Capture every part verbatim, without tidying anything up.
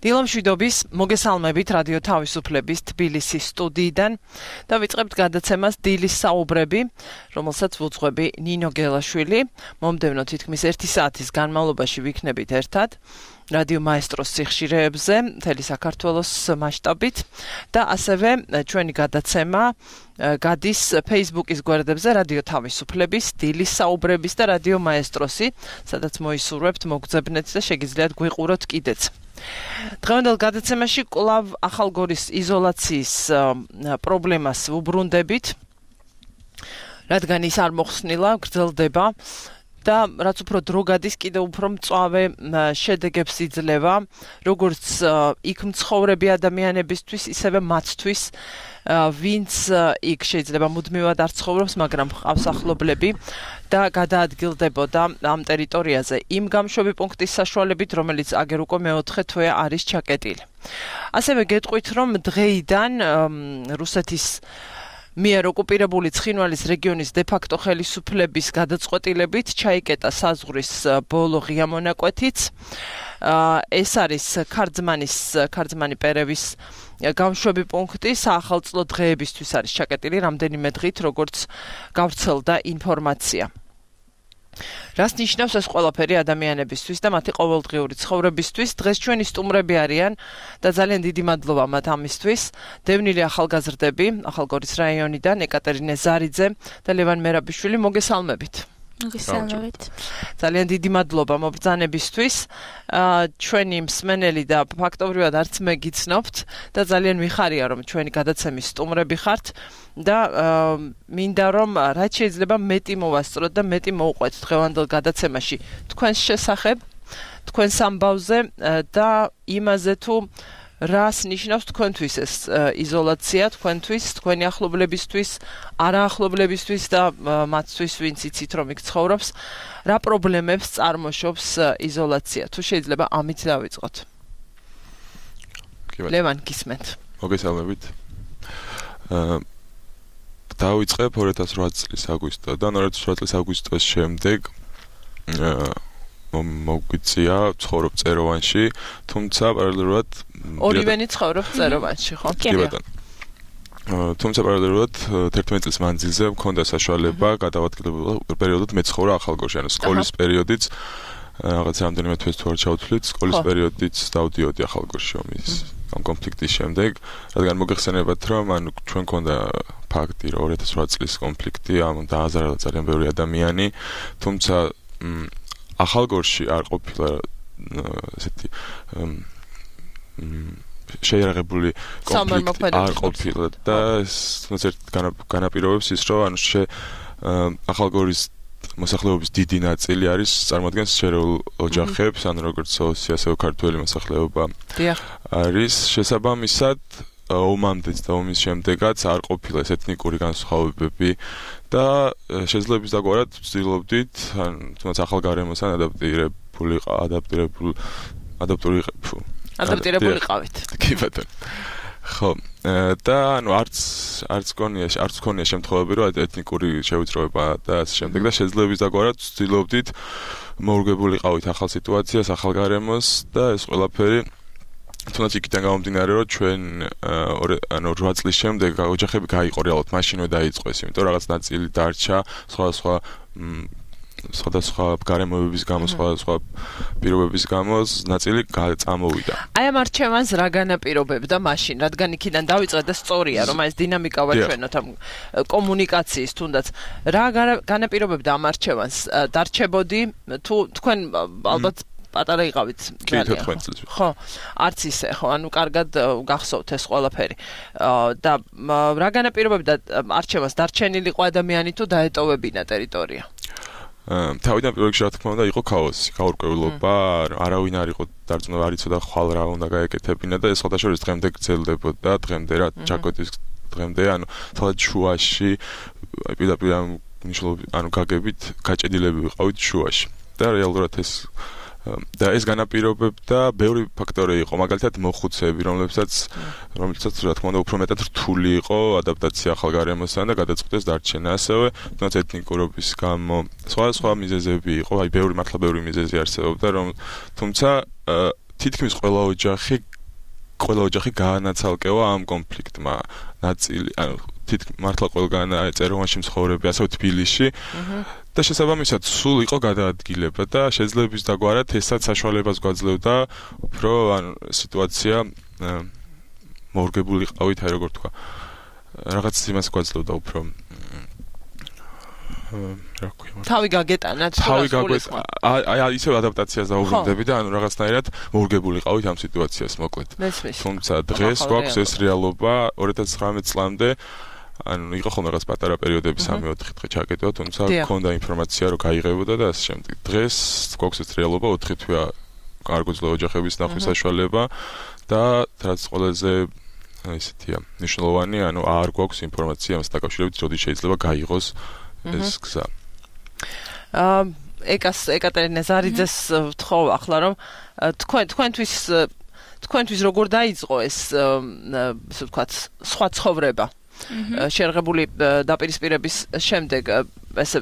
დილამშვიდობის მოგესალმებით რადიო თავისუფლების თბილისის სტუდიიდან და ვიწყებთ გადაცემას დილის საუბრები, რომელსაც ვუძღვები ნინო გელაშვილი. მომდევნო თითქმის ერთი საათის განმავლობაში ვიქნებით ერთად რადიო მაესტროს სიხშირეებზე, მთელი საქართველოს მასშტაბით და ასევე ჩვენი გადაცემა გადის Facebook-ის გვერდებზე რადიო თავისუფლების, დილის საუბრების და რადიო მაესტროსი, სადაც მოისურვებთ, მოგძებნეთ და შეგიძლიათ გვიყუროთ კიდეც. დღევანდელ გადაცემაში კვლავ ახალგორის იზოლაციის პრობლემას ვუბრუნდებით, რადგან ის არ მოხსნილა, გრძელდება და რაც უფრო დრო გადის, კიდევ უფრო მწვავე შედეგებს იძლევა, როგორც იქ მცხოვრები ადამიანებისთვის, ისევე მათთვის, ვინც იქ შეიძლება მუდმივად არ ცხოვრობს, მაგრამ ჰყავს ახლობლები და გადაადგილდებოდა ამ ტერიტორიაზე იმ გამშვები პუნქტის საშუალებით, რომელიც აგერ უკვე მეოთხე თვე არის ჩაკეტილი. ასევე გეტყვით, რომ დღეიდან რუსეთის მიერ ოკუპირებული ცხინვალის რეგიონის დე-ფაქტო ხელისუფლების გადაწყვეტილებით ჩაიკეტა საზღვრის ბოლო ღია მონაკვეთიც. ეს არის ქარძმანის ქარძმანი პერევის გამშვები პუნქტი, საახალწლო დღეებისთვის არის ჩაკეტილი რამდენიმე დღით, როგორც გავრცელდა ინფორმაცია. რას ნიშნავს ეს ყველაფერი ადამიანებისთვის და მათი ყოველდღიური ცხოვრებისთვის? დღეს ჩვენი სტუმრები არიან და ძალიან დიდი მადლობა მათ ამისთვის. დევნილი ახალგაზრდები ახალგორის რაიონიდან ეკატერინე ზარიძე და ლევან მერაბიშვილი, მოგესალმებით. მოგესალმებით. ძალიან დიდი მადლობა მობრძანებისთვის. ჩვენი მსმენელი და ფაქტობრივად არც მე გიცნობთ და ძალიან მიხარია, რომ ჩვენი გადაცემის სტუმრები ხართ და მინდა რომ რაც შეიძლება მეტი მოვასწროთ და მეტი მოვყვეთ დღევანდელ გადაცემაში თქვენს შესახებ, თქვენს ამბავზე და იმაზე თუ რას ნიშნავს თქვენთვის ეს იზოლაცია, თქვენთვის, თქვენი ახლობლებისთვის, არაახლობლებისთვის და მათთვის, ვინც იცით რომ იქ ცხოვრობს, რა პრობლემებს წარმოშობს იზოლაცია? თუ შეიძლება ამით დავიწყოთ. ლევან, გისმენთ. მოგესალმებით. დავიწყებ ორი ათას ოთხ წლის აგვისტოდან, ორი ათას ოთხ წლის აგვისტოს შემდეგ მოგვიწია ცხოვრობ წეროვანში, თუმცა პარალელურად ორივენი ცხოვრობ წეროვანში, ხო? კი ბატონო. თუმცა პარალელურად თერთმეტ წლის მანძილზე მქონდა საშუალება გადავადგილებულ პერიოდად მეცხოვრა ახალგორში, ანუ სკოლის პერიოდიც რაღაც რამდენიმე თვეს თუ არ ჩავთვლით, სკოლის პერიოდიც დავდიოდი ახალგორში ომის ამ კონფლიქტის შემდეგ, რადგან მოგეხსენებათ, რომ ანუ ჩვენ მქონდა ფაქტი, რომ ორი ათას ოთხ წლის კონფლიქტი, ამ დააზარალა ძალიან ბევრი ადამიანი, თუმცა ახალგორში არ ყოფილა ესეთი შეიარაღებული კონფლიქტი არ ყოფილა და თუნდაც განაპირობებს ის, რომ ანუ ახალგორის მოსახლეობის დიდი ნაწილი არის წარმოადგენს შერეულ ოჯახებს, ანუ როგორც ოსი, ასევე ქართველი მოსახლეობა არის. შესაბამისად, ომამდეც და ომის შემდეგაც არ ყოფილა ეს ეთნიკური განსხვავებები და შეძლების დაგვარად ვცდილობდით, თუნდაც ახალ გარემოსთან ადაპტირებული ადაპტირებული ადაპტური ადაპტირებული ყავით. კი ბატონო. ხო, და ანუ არც არც გონია, არც გონია შემთხვევები, რომ ეთნიკური შევიწროება და ასე შემდეგ და შეძლების დაგვარად ვცდილობდით მორგებული ყავით ახალ სიტუაციას, ახალ გარემოს და ეს ყველაფერი თუნდაც იქიდან გამომდინარე, რომ ჩვენ ანუ ორი წლის შემდეგ ოჯახები გაიყო რეალურად, მაშინვე დაიწყო ეს, იმიტომ რომ რაღაც ნაწილი დარჩა, სხვადასხვა სხვადასხვა გარემოებების გამო, სხვადასხვა პირობების გამო ნაწილი წამოვიდა. აი ამ არჩევანს რა განაპირობებდა მაშინ, რადგან იქიდან დავიწყეთ და სწორია, რომ ეს დინამიკა ვაჩვენოთ ამ კომუნიკაციის თუნდაც. რა განაპირობებდა ამ არჩევანს? დარჩებოდი თუ თქვენ ალბათ პატარა იყავით ძალიან. ხო, არც ისე, ხო, ანუ კარგად გახსოვთ ეს ყველაფერი. და რა განაპირობებდა არჩევანს? დარჩენილიყო ადამიანი თუ დაეტოვებინა ტერიტორია? თავიდან პირველ რიგში რა თქმა უნდა იყო ქაოსი, გაურკვევლობა, არავინ არ იყო დარწმუნებული, არ იცოდა ხვალ რა უნდა გაეკეთებინა და ეს სხვადასხვა დღემდე გრძელდებოდა, დღემდე რა ჩაკვეთის დღემდე, ანუ თვალად შუაში, პირდაპირ მნიშვნელობით, ანუ გაგებით გაჭედილები ვიყავით შუაში. და რეალურად ეს და ეს განაპირობებდა ბევრი ფაქტორი იყო, მაგალითად მოხუცეები, რომლებსაც რომლებსაც რა თქმა უნდა უფრო მეტად რთული იყო ადაპტაცია ახალ გარემოსთან და გადაწყვეტეს დარჩენა. ასევე თუნდაც ეთნიკურობის გამო სხვა სხვა მიზეზები იყო, აი ბევრი მართლა ბევრი მიზეზი არსებობდა, რომ თუმცა თითქმის ყველა ოჯახი ყველა ოჯახი გაანაცალკევა ამ კონფლიქტმა. ნაწილი, ანუ თითქმის მართლა ყველგან წეროვანში მცხოვრები, ასევე თბილისში. და შესაბამისად სულ იყო გადაადგილება და შეძლებს დაგვარად ესაც საშუალებას გვაძლევდა უფრო ანუ სიტუაცია მორგებული ყავით, აი როგორ თქვა. რაღაც იმას გვაძლევდა უფრო რა ქვია თავი გაგეტანა თავი გაგეტანა აი ისევ ადაპტაციას დაუბრუნდები და ანუ რაღაცნაირად მორგებული ყავით ამ სიტუაციას მოკლედ თუმცა დღეს გვაქვს ეს რეალობა ორი ათას ცხრამეტ წლამდე ანუ იყო ხოლმე რაღაც პატარა პერიოდები სამი ოთხი დღე ჩაკეტვა თუმცა მქონდა ინფორმაცია რომ გაიღებოდა და ასე შემდეგ დღეს გვაქვს ეს რეალობა ოთხი თვეა კარგოძლო ოჯახების ნახვის საშუალება და რაც ყველაზე ისეთია მნიშვნელოვანი ანუ არ გვაქვს ინფორმაცია ამას დაკავშირებით როდის შეიძლება გაიღოს ეს გზა. აა ეკას ეკატერინა ზარიძეს ვთხოვ ახლა რომ თქვენ თქვენთვის თქვენთვის როგორ დაიწყო ეს ასე ვთქვათ სხვა ცხოვრება შერღებული დაპირისპირების შემდეგ ესე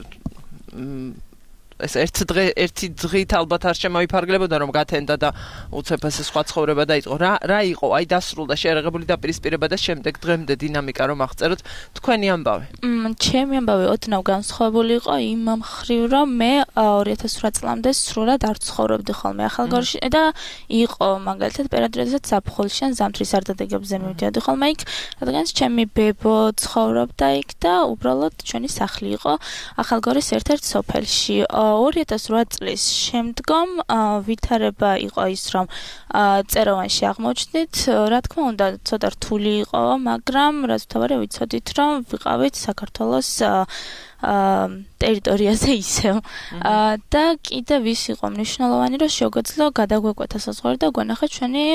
ეს ერთ დღე ერთი დღით ალბათ არ შემოიფარგლებოდა რომ გათენდა და უცებ ეს სხვა ცხოვრება დაიწყო რა რა იყო აი დასრულდა შერღებული დაპირისპირება და შემდეგ დღემდე დინამიკა რომ აღწეროთ თქვენი ამბავი მ ჩემი ამბავი ოდნავ განსხვავებული იყო იმ მხრივ რომ მე ორი ათას ოთხ წლამდე სრულად არ ცხოვრობდი ხოლმე ახალგორში და იყო მაგალითად პერიოდებსაც საფხულში ან ზამთრის სარდადეგებზე მივდიოდი ხოლმე იქ რადგანაც ჩემი ბებო ცხოვრობდა იქ და უბრალოდ ჩვენი სახლი იყო ახალგორის ერთ-ერთ სოფელში ორი ათას ოთხ წლის შემდგომ ვითარება იყო ის რომ წეროვანში აღმოჩნდით რა თქმა უნდა ცოტა რთული იყო მაგრამ რაც თავარი ვიცოდით რომ ვიყავით საქართველოს ტერიტორიაზე ისევ და კიდევ ის იყო მნიშვნელოვანი რომ შეგვეძლო გადაგვეკვეთა საზღვარი და გვენახა ჩვენი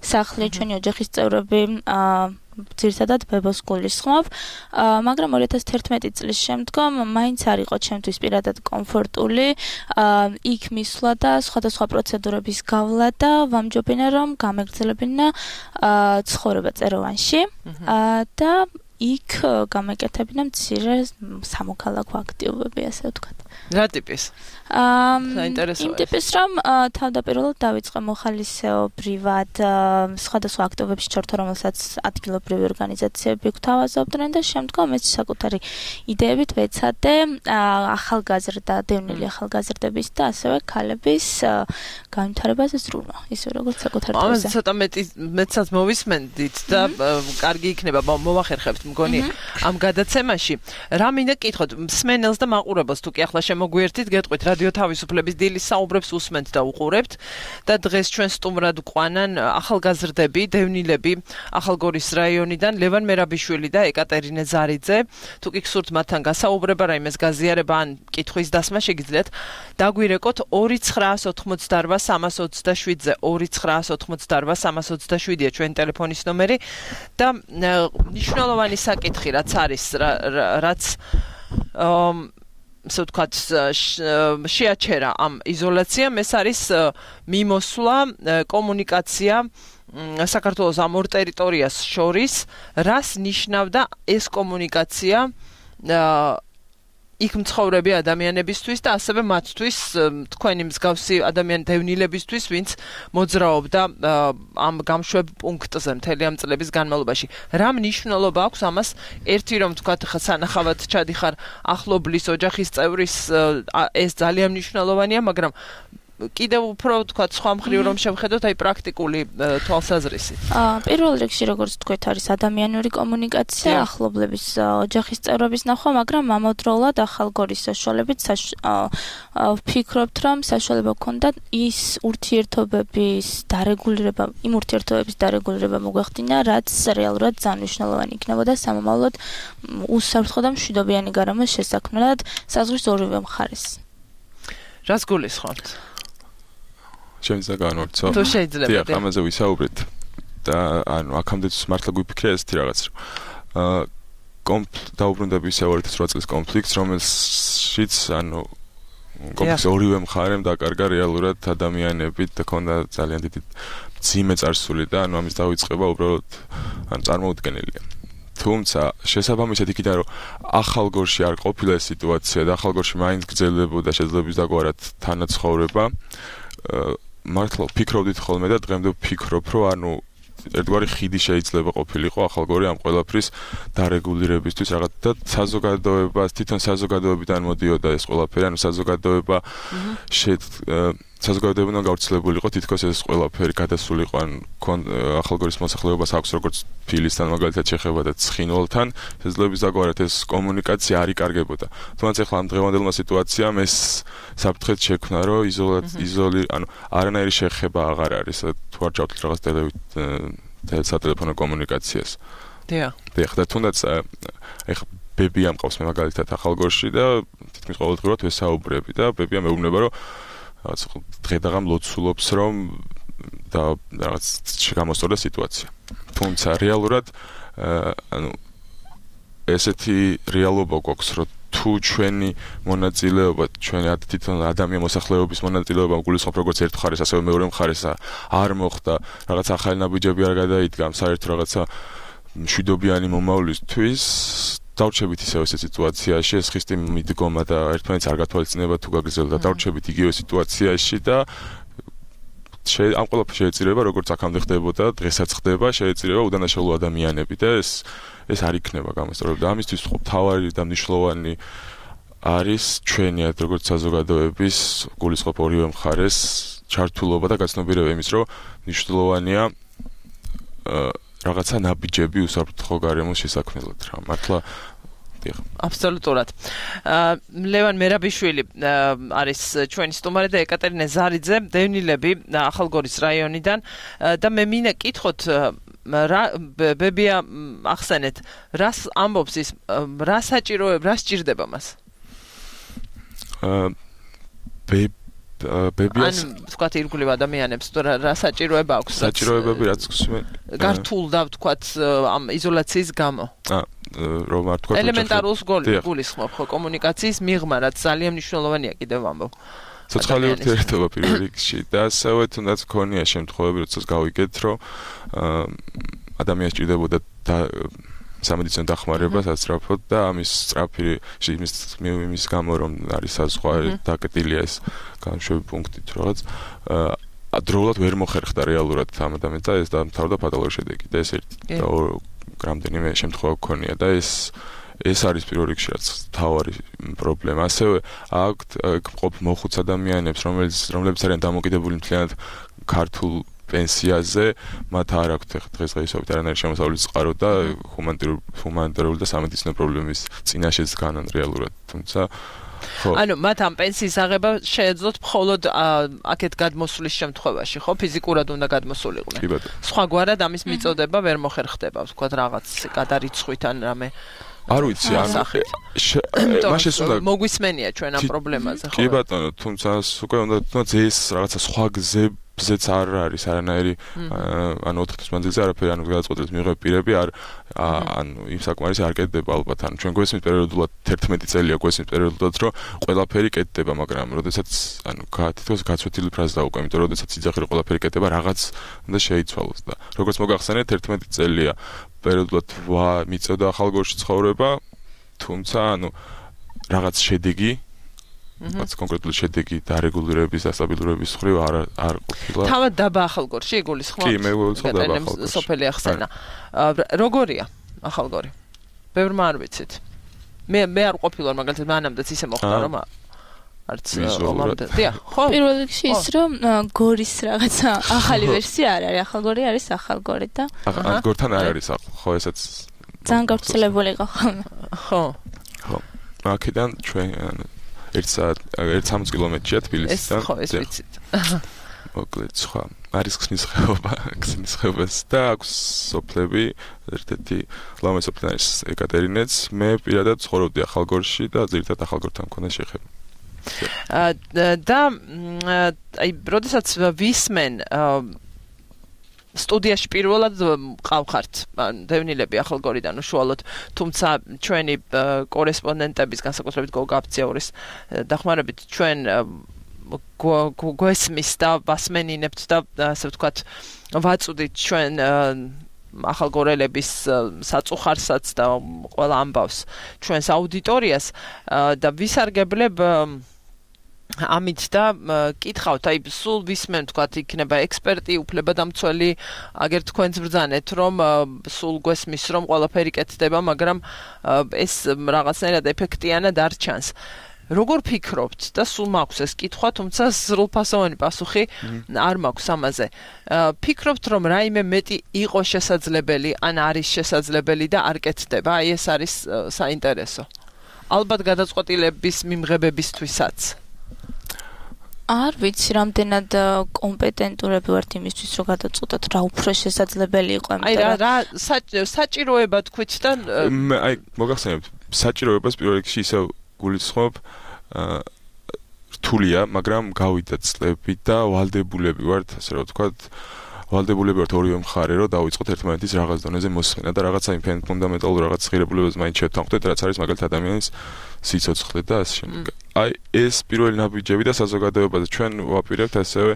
სახლი ჩვენი ოჯახის წევრები ძირითადად ბებოს გულისხმობ, მაგრამ ორი ათას თერთმეტი წლის შემდგომ მაინც არ იყო ჩემთვის პირადად კომფორტული იქ მისვლა და სხვადასხვა პროცედურების გავლა და ვამჯობინა რომ გამეგრძელებინა ცხოვრება წეროვანში და იქ გამეკეთებინა მცირე სამოქალაქო აქტივობები, ასე ვთქვათ. რა ტიპის? იმ ტიპის რომ თავდაპირველად დავიწყე მოხალისეობრივად სხვადასხვა აქტივობებში ჩართვა, რომელსაც ადგილობრივი ორგანიზაციები გვთავაზობდნენ და შემდგომ ეს საკუთარი იდეებით ვეცადე ახალგაზრდა, დევნილი ახალგაზრდების და ასევე ქალების განვითარებაზე ზრუნვა, ისე როგორც საკუთარ თავზე. ამაზე ცოტა მეტი მეცაც მოვისმენდით და კარგი იქნება მოვახერხებთ მგონი ამ გადაცემაში. რა მინდა კითხოთ მსმენელს და მაყურებელს თუ კი ახლა შემოგვიერთით, გეტყვით რადიო თავისუფლების დილის საუბრებს უსმენთ და უყურებთ და დღეს ჩვენ სტუმრად გვყვანან ახალგაზრდები, დევნილები ახალგორის რაიონიდან ლევან მერაბიშვილი და ეკატერინა ზარიძე. თუ კი გსურთ მათთან გასაუბრება, რაიმეს გაზიარება ან კითხვის დასმა შეგიძლიათ, დაგვირეკოთ ორი ცხრაას ოთხმოცდაორბა სამას ოცდაშვიდზე ორი ცხრაას ოთხმოცდაორბა სამას ოცდაშვიდია ჩვენი ტელეფონის ნომერი და მნიშვნელოვანი საკითხი რაც არის რაც ასე ვთქვათ შეაჩერა ამ იზოლაციამ ეს არის მიმოსვლა კომუნიკაცია საქართველოს ამ ორ ტერიტორიას შორის რას ნიშნავდა ეს კომუნიკაცია იქ მცხოვრები ადამიანებისთვის და ასევე მათთვის თქვენი მსგავსი ადამიან დევნილებისთვის ვინც მოძრაობდა ამ გამშვებ პუნქტზე მთელი ამ წლების განმავლობაში რა მნიშვნელობა აქვს ამას ერთი რომ თქვათ სანახავად ჩადიხარ ახლობლის ოჯახის წევრის ეს ძალიან მნიშვნელოვანია მაგრამ კიდევ უფრო თქვა სხვა მხრივ რომ შევხედოთ აი პრაქტიკული თვალსაზრისით. აა პირველ რიგში როგორც თქვით არის ადამიანური კომუნიკაცია, ახლობლების ოჯახის წევრების ნახვა, მაგრამ ამავდროულად ახალგორის საშუალებით ვფიქრობთ რომ საშუალება გქონდა ის ურთიერთობების დარეგულირება, იმ ურთიერთობების დარეგულირება მოგვეხდინა, რაც რეალურად ძალიან მნიშვნელოვანი იქნებოდა სამომავლოდ უსაფრთხო და მშვიდობიანი გარემოს შესაქმნელად საზღვრის ორივე მხარეს. რას გულისხმობთ? ჩემს განვარცო. თუ შეიძლება. დიახ, ამაზე ვისაუბრეთ და ანუ აქამდე მართლა გვიფიქრე ესეთი რაღაც რომ აა კონფლიქტ დაუბრუნდები ისე ორი ათას ოთხ წლის კონფლიქტს, რომელშიც ანუ კონფლიქტს ორივე მხარემ დაკარგა რეალურად ადამიანებით და ქონდა ძალიან დიდი ძიმე წარსული და ანუ ამის დავიწყება უბრალოდ ანუ წარმოუდგენელია. თუმცა შესაბამისად იქიდან რომ ახალგორში არ ყოფილა ეს სიტუაცია და ახალგორში მაინც გრძელებოდა შეძლებს დაგვარად თანაცხოვრება მართლა ვფიქრობდით ხოლმე და დღემდე ვფიქრობ რომ ანუ ერთგვარი ხიდი შეიძლება ყოფილიყო ახალგორი ამ ყველაფრის დარეგულირებისთვის რაღაც და საზოგადოებას თვითონ საზოგადოებიდან მოდიოდა ეს ყველაფერი, ანუ საზოგადოება შედ საზოგადოებიდან გავრცელებულიყო თითქოს ეს ყველაფერი გადასულიყო ან ახალგორის მოსახლეობას აქვს როგორც ფილისთან მაგალითად შეხება და ცხინვალთან შეძლებს დაგვარად ეს კომუნიკაცია არ იკარგებოდა. თუმცა ახლა ამ დღევანდელმა სიტუაციამ ეს საფრთხეთ შექმნა რომ იზოლი ანუ არანაირი შეხება აღარ არის თუ არ ჩავთვლით რაღაც სატელეფონო კომუნიკაციას. დიახ. დიახ და თუნდაც ეხლა ბებია მყავს მე მაგალითად ახალგორში და თითქმის ყოველდღურად ვესაუბრები და ბებია მეუბნება რომ რაღაც დღედაღამ ლოცულობს რომ და რაღაც გამოსწორდა სიტუაცია. თუმცა რეალურად ანუ ესეთი რეალობა გვაქვს რომ თუ ჩვენი მონაწილეობა ჩვენი თვითონ ადამიან მოსახლეობის მონაწილეობა გულისხმობ როგორც ერთ მხარეს ასევე მეორე მხარეს არ მოხდა რაღაც ახალი ნაბიჯები არ გადაიდგა საერთო რაღაცა მშვიდობიანი მომავლისთვის დავრჩებით ისევ ეს სიტუაციაში ეს ხისტი მიდგომა და ერთმანეთს არ გათვალისწინება თუ გაგრძელდა დავრჩებით იგივე სიტუაციაში და ამ ყველაფერს შეეწირება როგორც აქამდე ხდებოდა დღესაც ხდება შეეწირება უდანაშაულო ადამიანები და ეს ეს არ იქნება გამოსწორებული და ამისთვის მთავარი და მნიშვნელოვანი არის ჩვენიად როგორც საზოგადოების გულისხმობ ორივე მხარეს ჩართულობა და გაცნობიერება იმის რომ მნიშვნელოვანია რაღაცა ნაბიჯები უსაფრთხო გარემოს შესაქმნელად რა მართლა აბსოლუტურად. ლევან მერაბიშვილი არის ჩვენი სტუმარი და ეკატერინე ზარიძე, დევნილები ახალგორის რაიონიდან და მე მინდა კითხოთ ბებია ახსენეთ, რას ამბობს ის, რა საჭიროება, რა სჭირდება მას? ბე ბებიას ან თქვათ ირგვლივ ადამიანებს თუ რა საჭიროება აქვს საჭიროებები რაც გართულ და თქვათ ამ იზოლაციის გამო აა რომ არ თქვათ ელემენტარულ გულისხმობ ხო კომუნიკაციის მიღმა რაც ძალიან მნიშვნელოვანია კიდევ ამბობ სოციალური ურთიერთობა პირველ რიგში და ასევე თუნდაც ქონია შემთხვევები როდესაც გავიგეთ რომ ადამიანს ჭირდებოდა სამედიცინო დახმარება სასწრაფოდ და ამის სწრაფი იმის იმის გამო რომ არის საზღვარი დაკეტილია ეს განშვები პუნქტით რაღაც დროულად ვერ მოხერხდა რეალურად ამ ადამიანს და ეს დამთავრდა ფატალური შედეგი და ეს ერთი და რამდენიმე შემთხვევა გქონია და ეს ეს არის პირველ რიგში რაც თავარი პრობლემა ასევე აქვთ ყოფ მოხუც ადამიანებს რომელიც რომლებიც არიან დამოკიდებული მთლიანად ქართულ პენსიაზე მათ არ აქვთ დღესდღეობით არანაირი შემოსავლის წყარო და ჰუმანიტარული და სამედიცინო პრობლემის წინაშეც განან რეალურად თუმცა ანუ მათ ამ პენსიის აღება შეეძლოთ მხოლოდ აქეთ გადმოსulis შემთხვევაში ხო ფიზიკურად უნდა გადმოსულიყვნენ სხვაგვარად ამის მიწოდება ვერ მოხერხდება ვთქვათ რაღაც გადარიცხვით ან რამე არ ვიცი ანუ მაშინ უნდა მოგვისმენია ჩვენ ამ პრობლემაზე ხო კი ბატონო თუმცა უკვე უნდა თუნდაც ეს რაღაცა სხვა გზებზეც არ არის არანაირი ანუ ოთხ თვის მანძილზე არაფერი ანუ გადაწყვეტილების მიღების პირები არ ანუ იმ საკმარისი არ კეთდება ალბათ ანუ ჩვენ გვესმის პერიოდულად თერთმეტი წელია გვესმის პერიოდულად რომ ყველაფერი კეთდება მაგრამ როდესაც ანუ თითქოს გაცვეთილი ფრაზა უკვე იმიტომ რომ როდესაც იძახი რომ ყველაფერი კეთდება რაღაც უნდა შეიცვალოს და როგორც მოგახსენეთ თერთმეტი წელია პერიოდულად მიწოდა ახალგორში ცხოვრება თუმცა ანუ რაღაც შედეგი რაც კონკრეტული შედეგი დარეგულირების და სტაბილურების მხრივ არ არ ყოფილა. თავად დაბა ახალგორში გულისხმობთ? კი, მე გულისხმობ დაბა ახალგორში. სოფელი ახსენა. როგორია ახალგორი? ბევრმა არ ვიცით. მე მე არ ყოფილვარ მაგალითად მანამდეც ისე მოხდა რომ არც ომამდე. დიახ, ხო. პირველ რიგში ის რომ გორის რაღაცა ახალი ვერსია არ არის, ახალგორი არის ახალგორი და ახალგორთან არ არის ხო ესაც ძალიან გავრცელებული იყო ხოლმე. ხო. ხო. აქედან ჩვენ ერთ სამოცი კილომეტრია თბილისიდან. ეს ხო ეს ვიცით. მოკლედ სხვა არის ხსნის ხეობა, ხსნის ხეობას და აქვს სოფლები, ერთ-ერთი ლამაზ სოფლი არის ეკატერინეც, მე პირადად ცხოვრობდი ახალგორში და ძირითადად ახალგორთან მქონდა შეხება. და აი, როდესაც ვისმენ სტუდიაში პირველად ყავხართ დევნილები ახალგორიდან უშუალოდ თუმცა ჩვენი კორესპონდენტების განსაკუთრებით გოგაბციაურის დახმარებით ჩვენ გვესმის და ვასმენინებთ და ასე ვთქვათ ვაწუდით ჩვენ ახალგორელების საწუხარსაც და ყველა ამბავს ჩვენს აუდიტორიას და ვისარგებლებ ამით და კითხავთ, აი სულ ვისმენ თქვათ იქნება ექსპერტი, უფლებადამცველი, აგერ თქვენც ბრძანეთ, რომ სულ გვესმის, რომ ყველაფერი კეთდება, მაგრამ ეს რაღაცნაირად ეფექტიანად არ ჩანს. როგორ ფიქრობთ და სულ მაქვს ეს კითხვა, თუმცა სრულფასოვანი პასუხი არ მაქვს ამაზე. ფიქრობთ, რომ რაიმე მეტი იყო შესაძლებელი, ან არის შესაძლებელი და არ კეთდება, აი ეს არის საინტერესო. ალბათ გადაწყვეტილების მიმღებებისთვისაც. არ ვიცი, რამდენად კომპეტენტურები ვართ იმისთვის, რომ გადაწყვეტოთ, რა უფრო შესაძლებელი იყო, აი რა საჭიროება თქვით და აი მოგახსენებთ, საჭიროებას პირველ რიგში ისევ გულისხმობ რთულია, მაგრამ გავიდა წლები და ვალდებულები ვართ, ასე რომ ვთქვათ, ვალდებულები ვართ ორივე მხარე, რომ დავიწყოთ ერთმანეთის რაღაც დონეზე მოსმენა და რაღაცა იმ ფუნდამენტალურ რაღაც ღირებულებებს მაინც შევთანხმდეთ, რაც არის მაგალითად ადამიანის სიცოცხლე და ასე შემდეგ. აი ეს პირველი ნაბიჯები და საზოგადოებაზე ჩვენ ვაპირებთ ასევე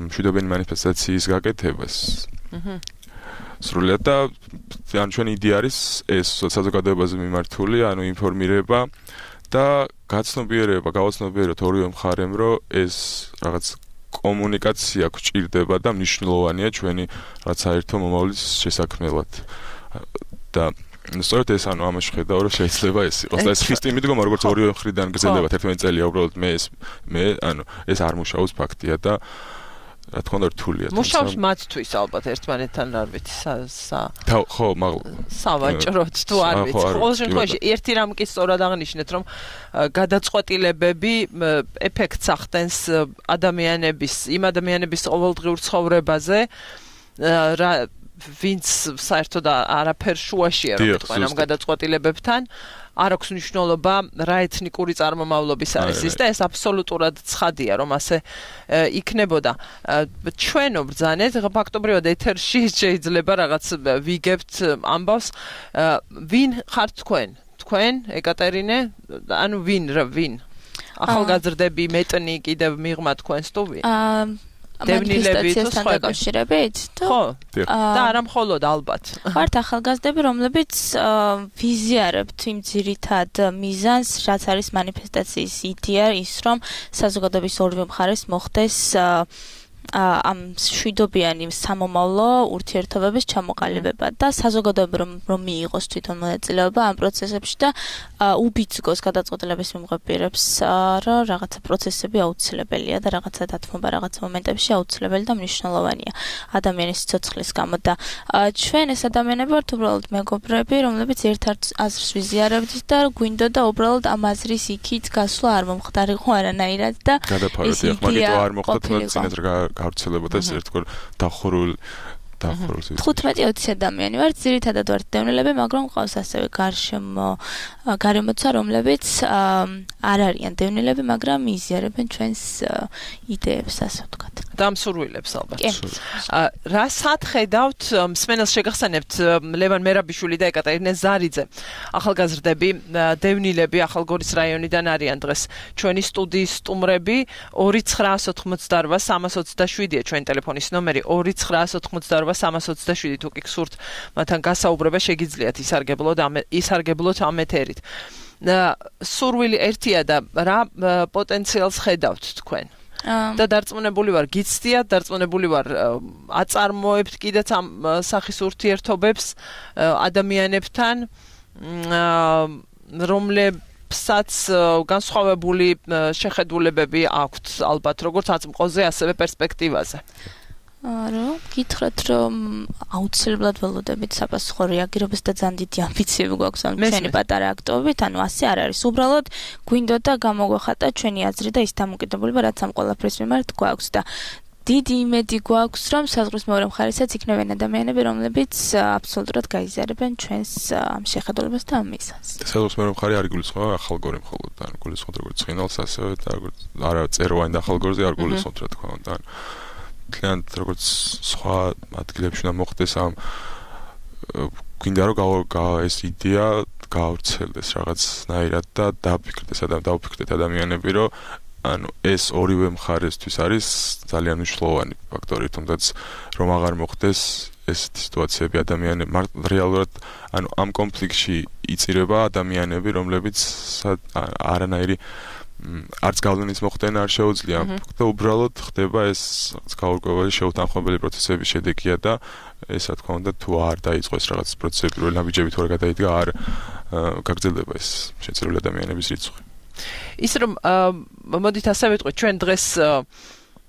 მშვიდობიანი მანიფესტაციის გაკეთებას. სრულად და ან ჩვენი იდეა არის ეს საზოგადოებაზე მიმართული, ანუ ინფორმირება და გაცნობიერება, გავაცნობიეროთ ორივე მხარემ, რომ ეს რაღაც კომუნიკაცია გვჭირდება და მნიშვნელოვანია ჩვენი რაც საერთო მომავლის შესაქმნელად. და სწორედ ეს ანუ ამაში ხედავ, რომ შეიძლება ეს იყოს. და ეს ხისტი მიდგომა, როგორც ორივე მხრიდან გრძელდება თერთმეტი წელია, უბრალოდ მე ეს მე ანუ ეს არ მუშაობს ფაქტია და რა თქმა უნდა რთულია. მუშაობს მათთვის ალბათ ერთმანეთთან არ ვიცი სა ხო, მაგ სავაჭროთ თუ არ ვიცი. ყოველ შემთხვევაში ერთი რამ კი სწორად აღნიშნეთ, რომ გადაწყვეტილებები ეფექტს ახდენს ადამიანების, იმ ადამიანების ყოველდღიურ ცხოვრებაზე, რა ვინც საერთოდ არაფერ შუაშია, რომ თქვენ ამ გადაწყვეტილებებთან არ აქვს მნიშვნელობა რა ეთნიკური წარმომავლობის არის ის და ეს აბსოლუტურად ცხადია, რომ ასე იქნებოდა. ჩვენო ბრძანეთ, ფაქტობრივად ეთერში შეიძლება რაღაც ვიგებთ ამბავს, ვინ ხართ თქვენ? თქვენ, ეკატერინე, ანუ ვინ, ვინ? ახალგაზრდები, მეტნი კიდევ მიღმა თქვენს თუ ვინ? მანიფესტაციასთან დაკავშირებით? ხო, და არა მხოლოდ ალბათ. ვართ ახალგაზრდები, რომლებიც ვიზიარებთ იმ ძირითად მიზანს, რაც არის მანიფესტაციის იდეა, ის რომ საზოგადოების ორივე მხარეს მოხდეს ამ შვიდობიანი სამომავლო ურთიერთობების ჩამოყალიბება და საზოგადოება რომ მიიღოს თვითონ მონაწილეობა ამ პროცესებში და უბიძგოს გადაწყვეტილების მიმღებირებს, რომ რაღაცა პროცესები აუცილებელია და რაღაცა დათმობა რაღაც მომენტებში აუცილებელი და მნიშვნელოვანია ადამიანის სიცოცხლის გამო და ჩვენ ეს ადამიანები ვართ უბრალოდ მეგობრები, რომლებიც ერთ აზრს ვიზიარებთ და გვინდოდა უბრალოდ ამ აზრის იქით გასვლა არ მომხდარიყო არანაირად და ეს იდეა არ მოხდა თუნდაც გავრცელებოდა ეს ერთგვარ დახურულ დახურულ თხუთმეტი ოცი ადამიანი ვართ, ძირითადად ვართ დევნილები, მაგრამ ყავს ასევე გარშემო გარემოცა, რომლებიც არ არიან დევნილები, მაგრამ იზიარებენ ჩვენს იდეებს, ასე ვთქვათ. დამსურვილებს ალბათ. რა სათხედავთ, მსმენელს შეგახსენებთ ლევან მერაბიშვილი და ეკატერინე ზარიძე. ახალგაზრდები, დევნილები ახალგორის რაიონიდან არიან დღეს. ჩვენი სტუდიის სტუმრები ორი ცხრაას ოთხმოცდარვა სამას ოცდაშვიდია ჩვენი ტელეფონის ნომერი ორი ცხრაას ოთხმოცდარვა სამას ოცდაშვიდი თუ კი გსურთ მათთან გასაუბრება შეგიძლიათ ისარგებლოთ ამ ისარგებლოთ ამ ეთერით. სურვილი ერთია და რა პოტენციალს ხედავთ თქვენ? და დარწმუნებული ვარ, გიცდიათ, დარწმუნებული ვარ, აწარმოებთ კიდეც ამ სახის ურთიერთობებს ადამიანებთან, რომლებსაც განსხვავებული შეხედულებები აქვთ, ალბათ, როგორც აწმყოზე, ასევე პერსპექტივაზე. რა, გითხრათ, რომ აუცილებლად ველოდებით საპასუხო რეაგირებას და ძალიან დიდი ამბიციები გვაქვს ამ ჩვენი პატარა აქტივობით, ანუ ასე არ არის. უბრალოდ გვინდოდა გამოგვეხატა ჩვენი აზრი და ის დამოკიდებულება, რაც ამ ყველაფრის მიმართ გვაქვს და დიდი იმედი გვაქვს, რომ საზღვრის მეორე მხარესაც იქნებიან ადამიანები, რომლებიც აბსოლუტურად გაიზიარებენ ჩვენს ამ შეხედულებას და ამ მიზანს. საზღვრის მეორე მხარე არ გულისხმობა ახალგორი მხოლოდ, ანუ გულისხმობთ როგორც ცხინვალს, ასევე და როგორც არა წეროვანი და ახალგორზე არ გულისხმობთ, რა თქმა უნდა. კლიენტ როგორც სხვა ადგილებში უნდა მოხდეს ამ გვინდა რომ ეს იდეა გავრცელდეს რაღაცნაირად და დაფიქრდეს და დავფიქრდეთ ადამიანები რომ ანუ ეს ორივე მხარესთვის არის ძალიან მნიშვნელოვანი ფაქტორი, თუნდაც რომ აღარ მოხდეს ესეთი სიტუაციები ადამიანები რეალურად ანუ ამ კონფლიქტში იწირება ადამიანები, რომლებიც არანაირი არც გავლენის მოხდენა არ შეუძლია და უბრალოდ ხდება ეს გაურკვეველი შეუთანხმებელი პროცესების შედეგია და ეს რა თქმა უნდა თუ არ დაიწყოს რაღაც პროცესები პირველ ნაბიჯები თუ არ გადაიდგა არ გაგრძელდება ეს შეწირული ადამიანების რიცხვი ის რომ მოდით ასე ვიტყვით ჩვენ დღეს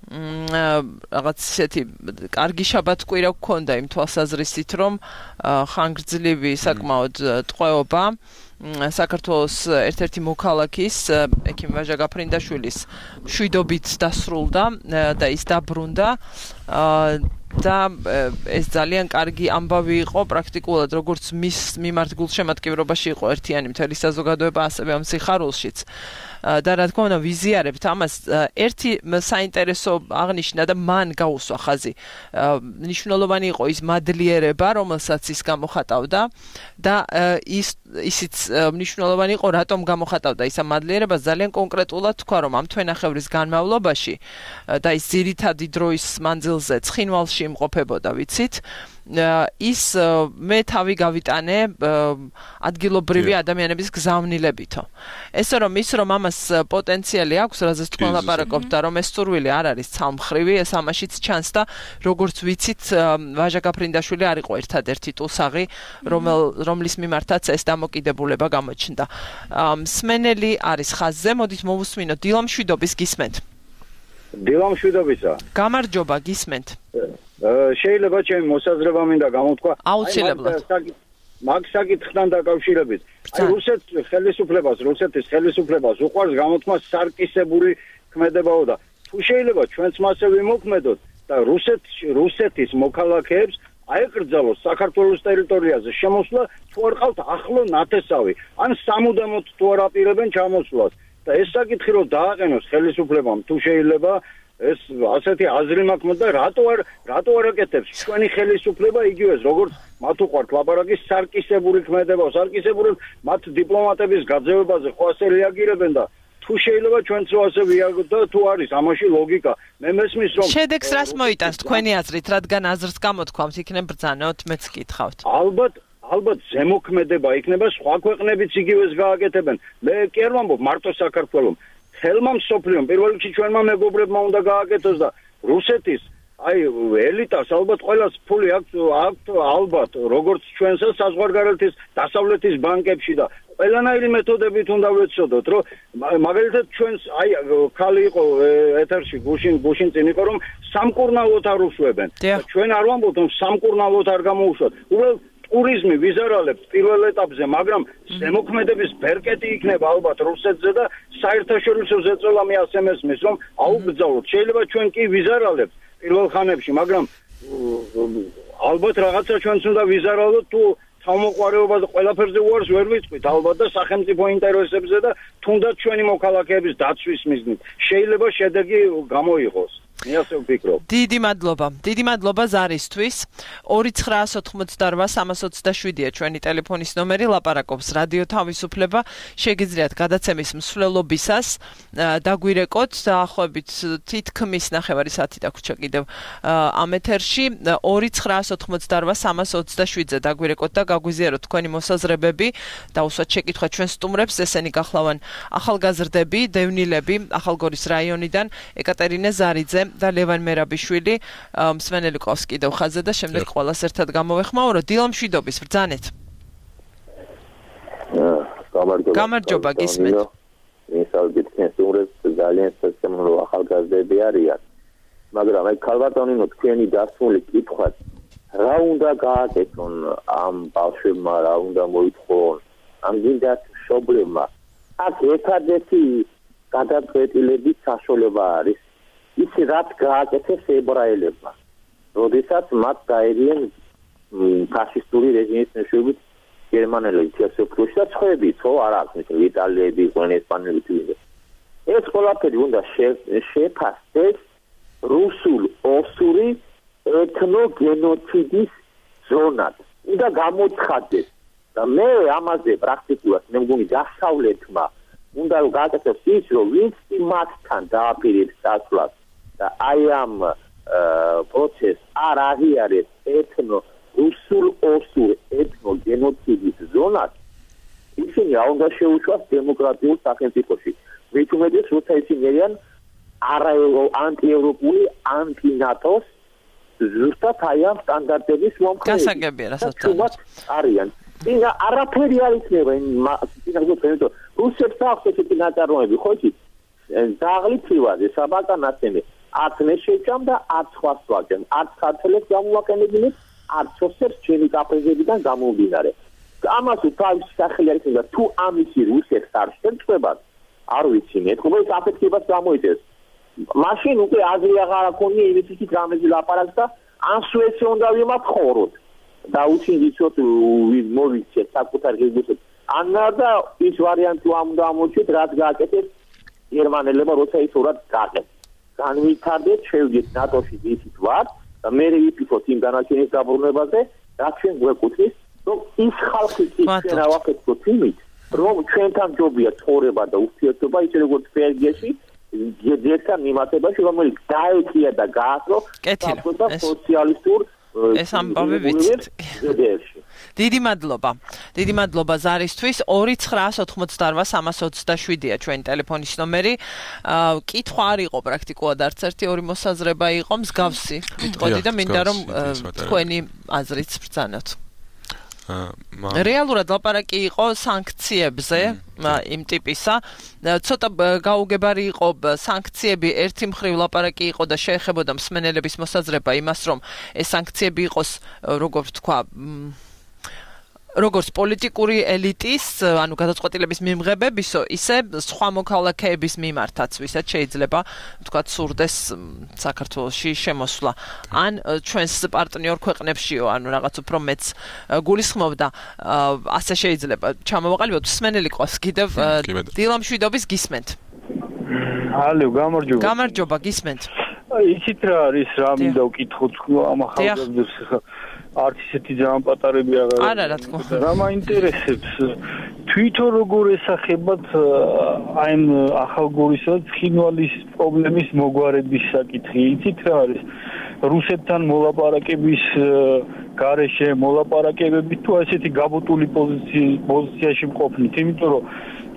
რაღაც ისეთი კარგი შაბათ-კვირა გვქონდა იმ თვალსაზრისით რომ ხანგრძლივი საკმაოდ ტყვეობა საქართველოს ერთ-ერთი მოქალაქის ექიმ ვაჟა გაფრინდაშვილის მშვიდობით დასრულდა და ის დაბრუნდა და ეს ძალიან კარგი ამბავი იყო პრაქტიკულად როგორც მის მიმართ გულშემატკივრობაში იყო ერთიანი მთელი საზოგადოება ასევე ამ სიხარულშიც და რა თქმა უნდა ვიზიარებთ ამას ერთი საინტერესო აღნიშნა და მან გაუსვა ხაზი მნიშვნელოვანი იყო ის მადლიერება რომელსაც ის გამოხატავდა და ის ისიც მნიშვნელოვანი იყო რატომ გამოხატავდა ის ამ მადლიერებას ძალიან კონკრეტულად თქვა რომ ამ თვენახევრის განმავლობაში და ის ძირითადი დროის მანძილზე ცხინვალში იმყოფებოდა ვიცით ის მე თავი გავიტანე ადგილობრივი ადამიანების გზავნილებითო. Ესე რომ ის რომ ამას პოტენციალი აქვს, რაზეც თქვენ ლაპარაკობთ და რომ ეს სურვილი არ არის ცალმხრივი, ეს ამაშიც ჩანს და როგორც ვიცით, ვაჟა გაფრინდაშვილი არ იყო ერთადერთი ტულსაღი, რომლის მიმართაც ეს დამოკიდებულება გამოჩნდა. მსმენელი არის ხაზზე, მოდით მოვუსმინოთ დილა მშვიდობის გისმენთ. დილა მშვიდობისა. გამარჯობა, გისმენთ. შეიძლება ჩემი მოსაზრება მინდა გამოთქვა აუცილებლად მაგ საკითხთან დაკავშირებით აი რუსეთის ხელისუფლებას რუსეთის ხელისუფლებას უყვარს გამოთქვა სარკისებური ქმედებაო და თუ შეიძლება ჩვენც მასე ვიმოქმედოთ და რუსეთის რუსეთის მოქალაქეებს აეკრძალოს საქართველოს ტერიტორიაზე შემოსვლა თუ არ ყავთ ახლო ნათესავი ან სამუდამოდ თუ არ აპირებენ ჩამოსვლას და ეს საკითხი რომ დააყენოს ხელისუფლებამ თუ შეიძლება ეს ასეთი აზრი მაქვს და რატო არ რატო არ აკეთებს ჩვენი ხელისუფლება იგივეს როგორც მათ უყვართ ლაპარაკის სარკისებური ქმედება სარკისებური მათ დიპლომატების გაძევებაზე ხო ასე რეაგირებენ და თუ შეიძლება ჩვენც ასე ვიაროთ და თუ არის ამაში ლოგიკა მე მესმის რომ შედეგს რას მოიტანს თქვენი აზრით რადგან აზრს გამოთქვამთ იქნებ ბრძანოთ მეც გითხავთ ალბათ ალბათ ზემოქმედება იქნება სხვა ქვეყნებიც იგივეს გააკეთებენ მე კი არ ვამბობ მარტო საქართველოს ხელმა მსოფლიომ პირველ რიგში ჩვენმა მეგობრებმა უნდა გააკეთოს და რუსეთის აი ელიტას ალბათ ყველას ფული აქვს აქვს ალბათ როგორც ჩვენსაც საზღვარგარეთის დასავლეთის ბანკებში და ყველანაირი მეთოდებით უნდა ვეცოდოთ რომ მაგალითად ჩვენს აი ხალი იყო ეთერში გუშინ გუშინ წინ იყო რომ სამკურნალოდ არ უშვებენ ჩვენ არ ვამბობთ რომ სამკურნალოდ არ გამოუშვათ უბრალოდ ტურიზმი ვიზარალებთ პირველ ეტაპზე, მაგრამ ზემოქმედების ბერკეტი იქნება ალბათ რუსეთზე და საერთაშორისო ზეწოლა მე ასე მესმის, რომ აუბრძალოთ. შეიძლება ჩვენ კი ვიზარალებთ პირველ ხანებში, მაგრამ ალბათ რაღაცა ჩვენც უნდა ვიზარალოთ თუ თავმოყარეობა და ყველაფერზე უარს ვერ ვიტყვით ალბათ და სახელმწიფო ინტერესებზე და თუნდაც ჩვენი მოქალაქეების დაცვის მიზნით. შეიძლება შედეგი გამოიღოს. მე ასე ვფიქრობ. დიდი მადლობა. დიდი მადლობა ზარისთვის. ორი ცხრაას ოთხმოცდარვა სამას ოცდაშვიდია ჩვენი ტელეფონის ნომერი ლაპარაკობს რადიო თავისუფლება. შეგიძლიათ გადაცემის მსვლელობისას დაგვირეკოთ დაახლოებით თითქმის ნახევარი საათი დაგვრჩა კიდევ ამ ეთერში ორი ცხრაას ოთხმოცდარვა სამას ოცდაშვიდზე დაგვირეკოთ და გაგვიზიაროთ თქვენი მოსაზრებები და უსვათ შეკითხვა ჩვენ სტუმრებს ესენი გახლავან ახალგაზრდები, დევნილები ახალგორის რაიონიდან ეკატერინე ზარიძე და ლევან მერაბიშვილი მსმენელი ყავს კიდევ ხაზზე და შემდეგ ყველას ერთად გამოვეხმაურო დილა მშვიდობის ბრძანეთ გამარჯობა გისმენთ მისალგეთ სტუმრებს ძალიან სასწაულო ახალგაზრდები არიან მაგრამ აი ქალბატონინო თქვენი დასმული კითხვა რა უნდა გააკეთონ ამ ბავშვებმა რა უნდა მოითხოვონ ამ გინდათ მშობლებმა აქ ერთადერთი გადაწყვეტილების საშუალება არის ის რაც გააკეთეს ებრაელებმა. როდესაც მათ გაერიან ფაშისტური რეჟიმის მეშვეობით გერმანელები თესოფლუში და სხვაები, ხო არ აქვს იტალიელები, იყვნენ ესპანელები თვითონ. ეს ყველაფერი უნდა შეფასდეს რუსულ-ოსური ეთნოგენოციდის ზონად. უნდა გამოცხადდეს და მე ამაზე პრაქტიკულად მე მგონი დასავლეთმა უნდა გააკეთოს ის, რომ ვინც მათთან დააპირებს დასვლას და აი ამ პროცესს არ აღიარებს ეთნო რუსულ-ოსურ ეთნოგენოციდის ზონად ისინი არ უნდა შეუშვას დემოკრატიულ სახელმწიფოში მით უმეტეს როცა ისინი არიან არა ანტიევროპული, ანტინატოს ზუსტად აი ამ სტანდარტების მომხრეები. გასაგებია, რასაც არიან. ინა არაფერი არ იქნება ინა გქონდო რუსებს აქვს ესეთი ნაწარმოები ხო იცით ზაღლი ფრივაზე საბაკანაცემე არც მე შეჭამ და არც ხვას ვაკენ არც ქართველებს გამოვაკენებინეთ არც ოსებს ჩემი კაფეებიდან გამომდინარე ამას თავის სახელი არის და თუ ამისი რუსებს არ შეწყვებათ არ ვიცი მე თქო ეს აფექტებას გამოიწეს მაშინ უკვე აზრი აღარ აქვს იმით იქით რამეზე ლაპარაკს და ან სუეცი უნდა ვიმათხოვროთ და უჩინდიცოთ მოვიქცეთ საკუთარ გეგმებს ანა და ის ვარიანტი ამ და ამოჩით რაც გააკეთეს გერმანელებმა როცა ის ურად გააკეთეს განვითარდეთ შევიდეთ ნატოში ისიც ვარ და მე ვიფიქროთ იმ განაჩენის დაბრუნებაზე რაც ჩვენ გვეკუთვნის რომ ის ხალხი იქნება ვაკეთოთ იმით რომ ჩვენთან ჯობია ცხოვრება და ურთიერთობა ისე როგორც ბელგიაში ძირთან მიმართებაში რომელიც დაეკია და გაასრო სოციალისტურ ეს ამბავი ვიცით. დიდი მადლობა. დიდი მადლობა ზარისთვის. ორი ცხრაას ოთხმოცდაოთხ სამას ოცდაშვიდია ჩვენი ტელეფონის ნომერი. კითხვა არ იყო პრაქტიკულად არც ერთი ორი მოსაზრება იყო მსგავსი. ვიტყოდი და მინდა რომ თქვენი აზრიც ბრძანოთ. რეალურად ლაპარაკი იყო სანქციებზე იმ ტიპისა ცოტა გაუგებარი იყო სანქციები ერთი მხრივ ლაპარაკი იყო და შეეხებოდა მსმენელების მოსაზრება იმას რომ ეს სანქციები იყოს როგორც თქვა როგორც პოლიტიკური ელიტის ანუ გადაწყვეტილების მიმღებებისო ისე სხვა მოქალაქეების მიმართაც ვისაც შეიძლება თქვა სურდეს საქართველოში შემოსვლა ან ჩვენს პარტნიორ ქვეყნებშიო ანუ რაღაც უფრო მეც გულისხმობდა ასე შეიძლება ჩამოვაყალიბოთ მსმენელი ყავს კიდევ დილამშვიდობის გისმენთ ალო გამარჯობა გამარჯობა გისმენთ იცით რა არის რა მინდა ვკითხოთ ამ ახალგაზრდებს არც ისეთი ძალიან პატარები აღარ არა რა თქმა უნდა რა მაინტერესებს თვითონ როგორ ესახებათ აი ამ ახალგორისა და ცხინვალის პრობლემის მოგვარების საკითხი იცით რა არის რუსეთთან მოლაპარაკების გარეშე მოლაპარაკებები თუ ესეთი გაბუტული პოზიციაში მყოფნით იმიტომ რომ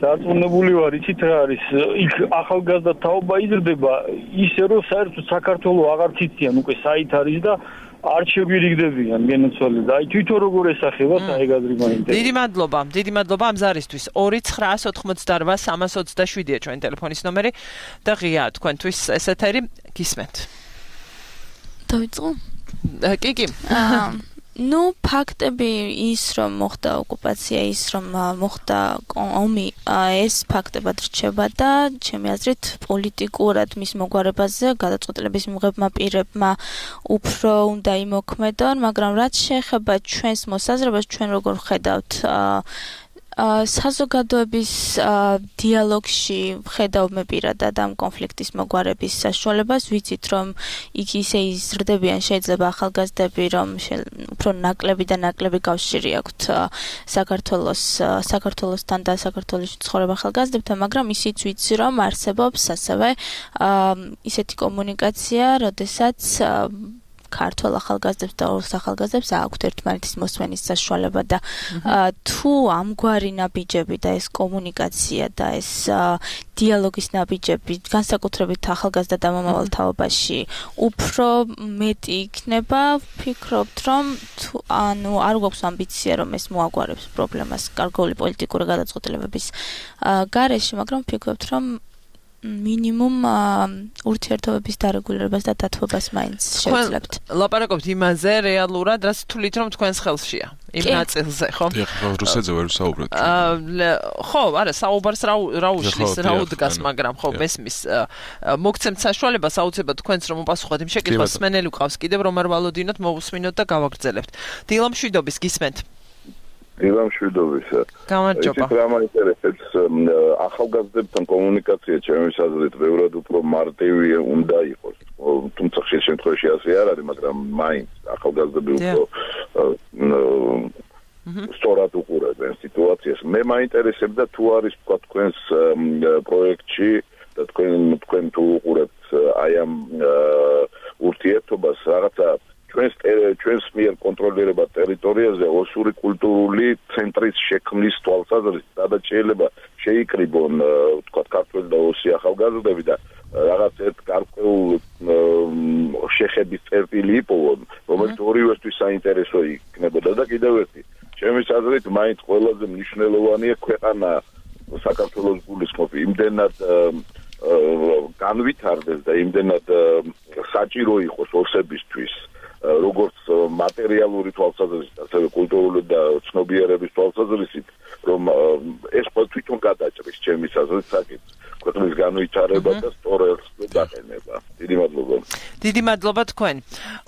დარწმუნებული ვარ იცით რა არის იქ ახალგაზრდა თაობა იზრდება ისე რომ საერთოდ საქართველოს აღარ ციციან უკვე საით არის და არჩევი რიგდებიან გენოცვალე და აი თვითონ როგორ ესახებათ აი გაზრი მაინტერესებს. დიდი მადლობა, დიდი მადლობა ამ ზარისთვის. ორი ცხრაას ოთხმოცდაოთხ სამას ოცდაშვიდია ჩვენი ტელეფონის ნომერი და ღია თქვენთვის ეს ეთერი გისმენთ. დავიწყო? კი, კი. ну ფაქტები ის რომ მოხდა ოკუპაცია ის რომ მოხდა ომი ეს ფაქტებად რჩება და ჩემი აზრით პოლიტიკურად მის მოგვარებაზე გადაწყვეტილების მიღებმა პირებმა უფრო უნდა იმოქმედონ მაგრამ რაც შეეხება ჩვენს მოსაზრებას ჩვენ როგორ ხედავთ საზოგადოების დიალოგში ხედავ მე პირადად ამ კონფლიქტის მოგვარების საშუალებას ვიცით რომ იქ ისე იზრდებიან შეიძლება ახალგაზრდები რომ უფრო ნაკლები და ნაკლები კავშირი აქვთ საქართველოს საქართველოსთან და საქართველოში ცხოვრებ ახალგაზრდებთან მაგრამ ისიც ვიცი რომ არსებობს ასევე ისეთი კომუნიკაცია როდესაც ქართულ ახალგაზრდებს და ორ ახალგაზრდებს აქვთ ერთმანეთის მოსვენის საშუალება და თუ ამგვარი ნაბიჯები და ეს კომუნიკაცია და ეს დიალოგის ნაბიჯები განსაკუთრებით ახალგაზრდა და მომავალ თაობაში უფრო მეტი იქნება ვფიქრობთ რომ ანუ არ გვაქვს ამბიცია რომ ეს მოაგვარებს პრობლემას გარკვეული პოლიტიკური გადაწყვეტილებების გარეშე მაგრამ ვფიქრობთ რომ მინიმუმ ურთიერთობების დარეგულირებას და დათბობას მაინც შევძლებთ. ლაპარაკობთ იმაზე რეალურად, რაც თulit რომ თქვენს ხელშია. იმ ნაწილზე, ხო? ეხლა რუსეთზე ვერ საუბრობთ. ხო, არა, საუბარს რა უშლის, რა უდგას, მაგრამ ხო, მესმის მოგცემთ საშუალებას აუცილებლად თქვენს რომ უპასუხოთ იმ შეკითხვას, სმენელი ყავს კიდევ რომ არ ვალოდინოთ, მოვუსმინოთ და გავაგრძელებთ. დილამშვიდობის გისმენთ. დილამშვიდობისა. გამარჯობა. ეს რა მაინტერესებს ახალგაზრდებთან კომუნიკაცია ჩემს აზრით ბევრად უფრო მარტივი უნდა იყოს. თუმცა ხშირ შემთხვევაში ასე არ არის, მაგრამ მაინც ახალგაზრდები უფრო სწორად უყურებენ სიტუაციას. მე მაინტერესებდა თუ არის თქვა თქვენს პროექტში და თქვენ თქვენ თუ უყურებთ აი ამ ურთიერთობას რაღაცა ჩვენს ჩვენს მიერ კონტროლირება ტერიტორიაზე ოსური კულტურული ცენტრის შექმნის თვალსაზრისით, სადაც შეიძლება შეიკრიბონ თქვა ქართველი და ოსი ახალგაზრდები და რაღაც ერთ გარკვეულ შეხების წერტილი იპოვონ, რომელიც ორივესთვის საინტერესო იქნებოდა და კიდევ ერთი ჩემი აზრით მაინც ყველაზე მნიშვნელოვანია ქვეყანა საქართველოს გულისხმობ იმდენად განვითარდეს და იმდენად საჭირო იყოს ოსებისთვის როგორც მატერიალური თვალსაზრისით, ასევე კულტურული და ცნობიერების თვალსაზრისით, რომ ეს თვითონ გადაჭრის ჩემი აზრით საკითხს ქვეყნის განვითარება და სწორ ელს დაყენება. დიდი მადლობა. დიდი მადლობა თქვენ.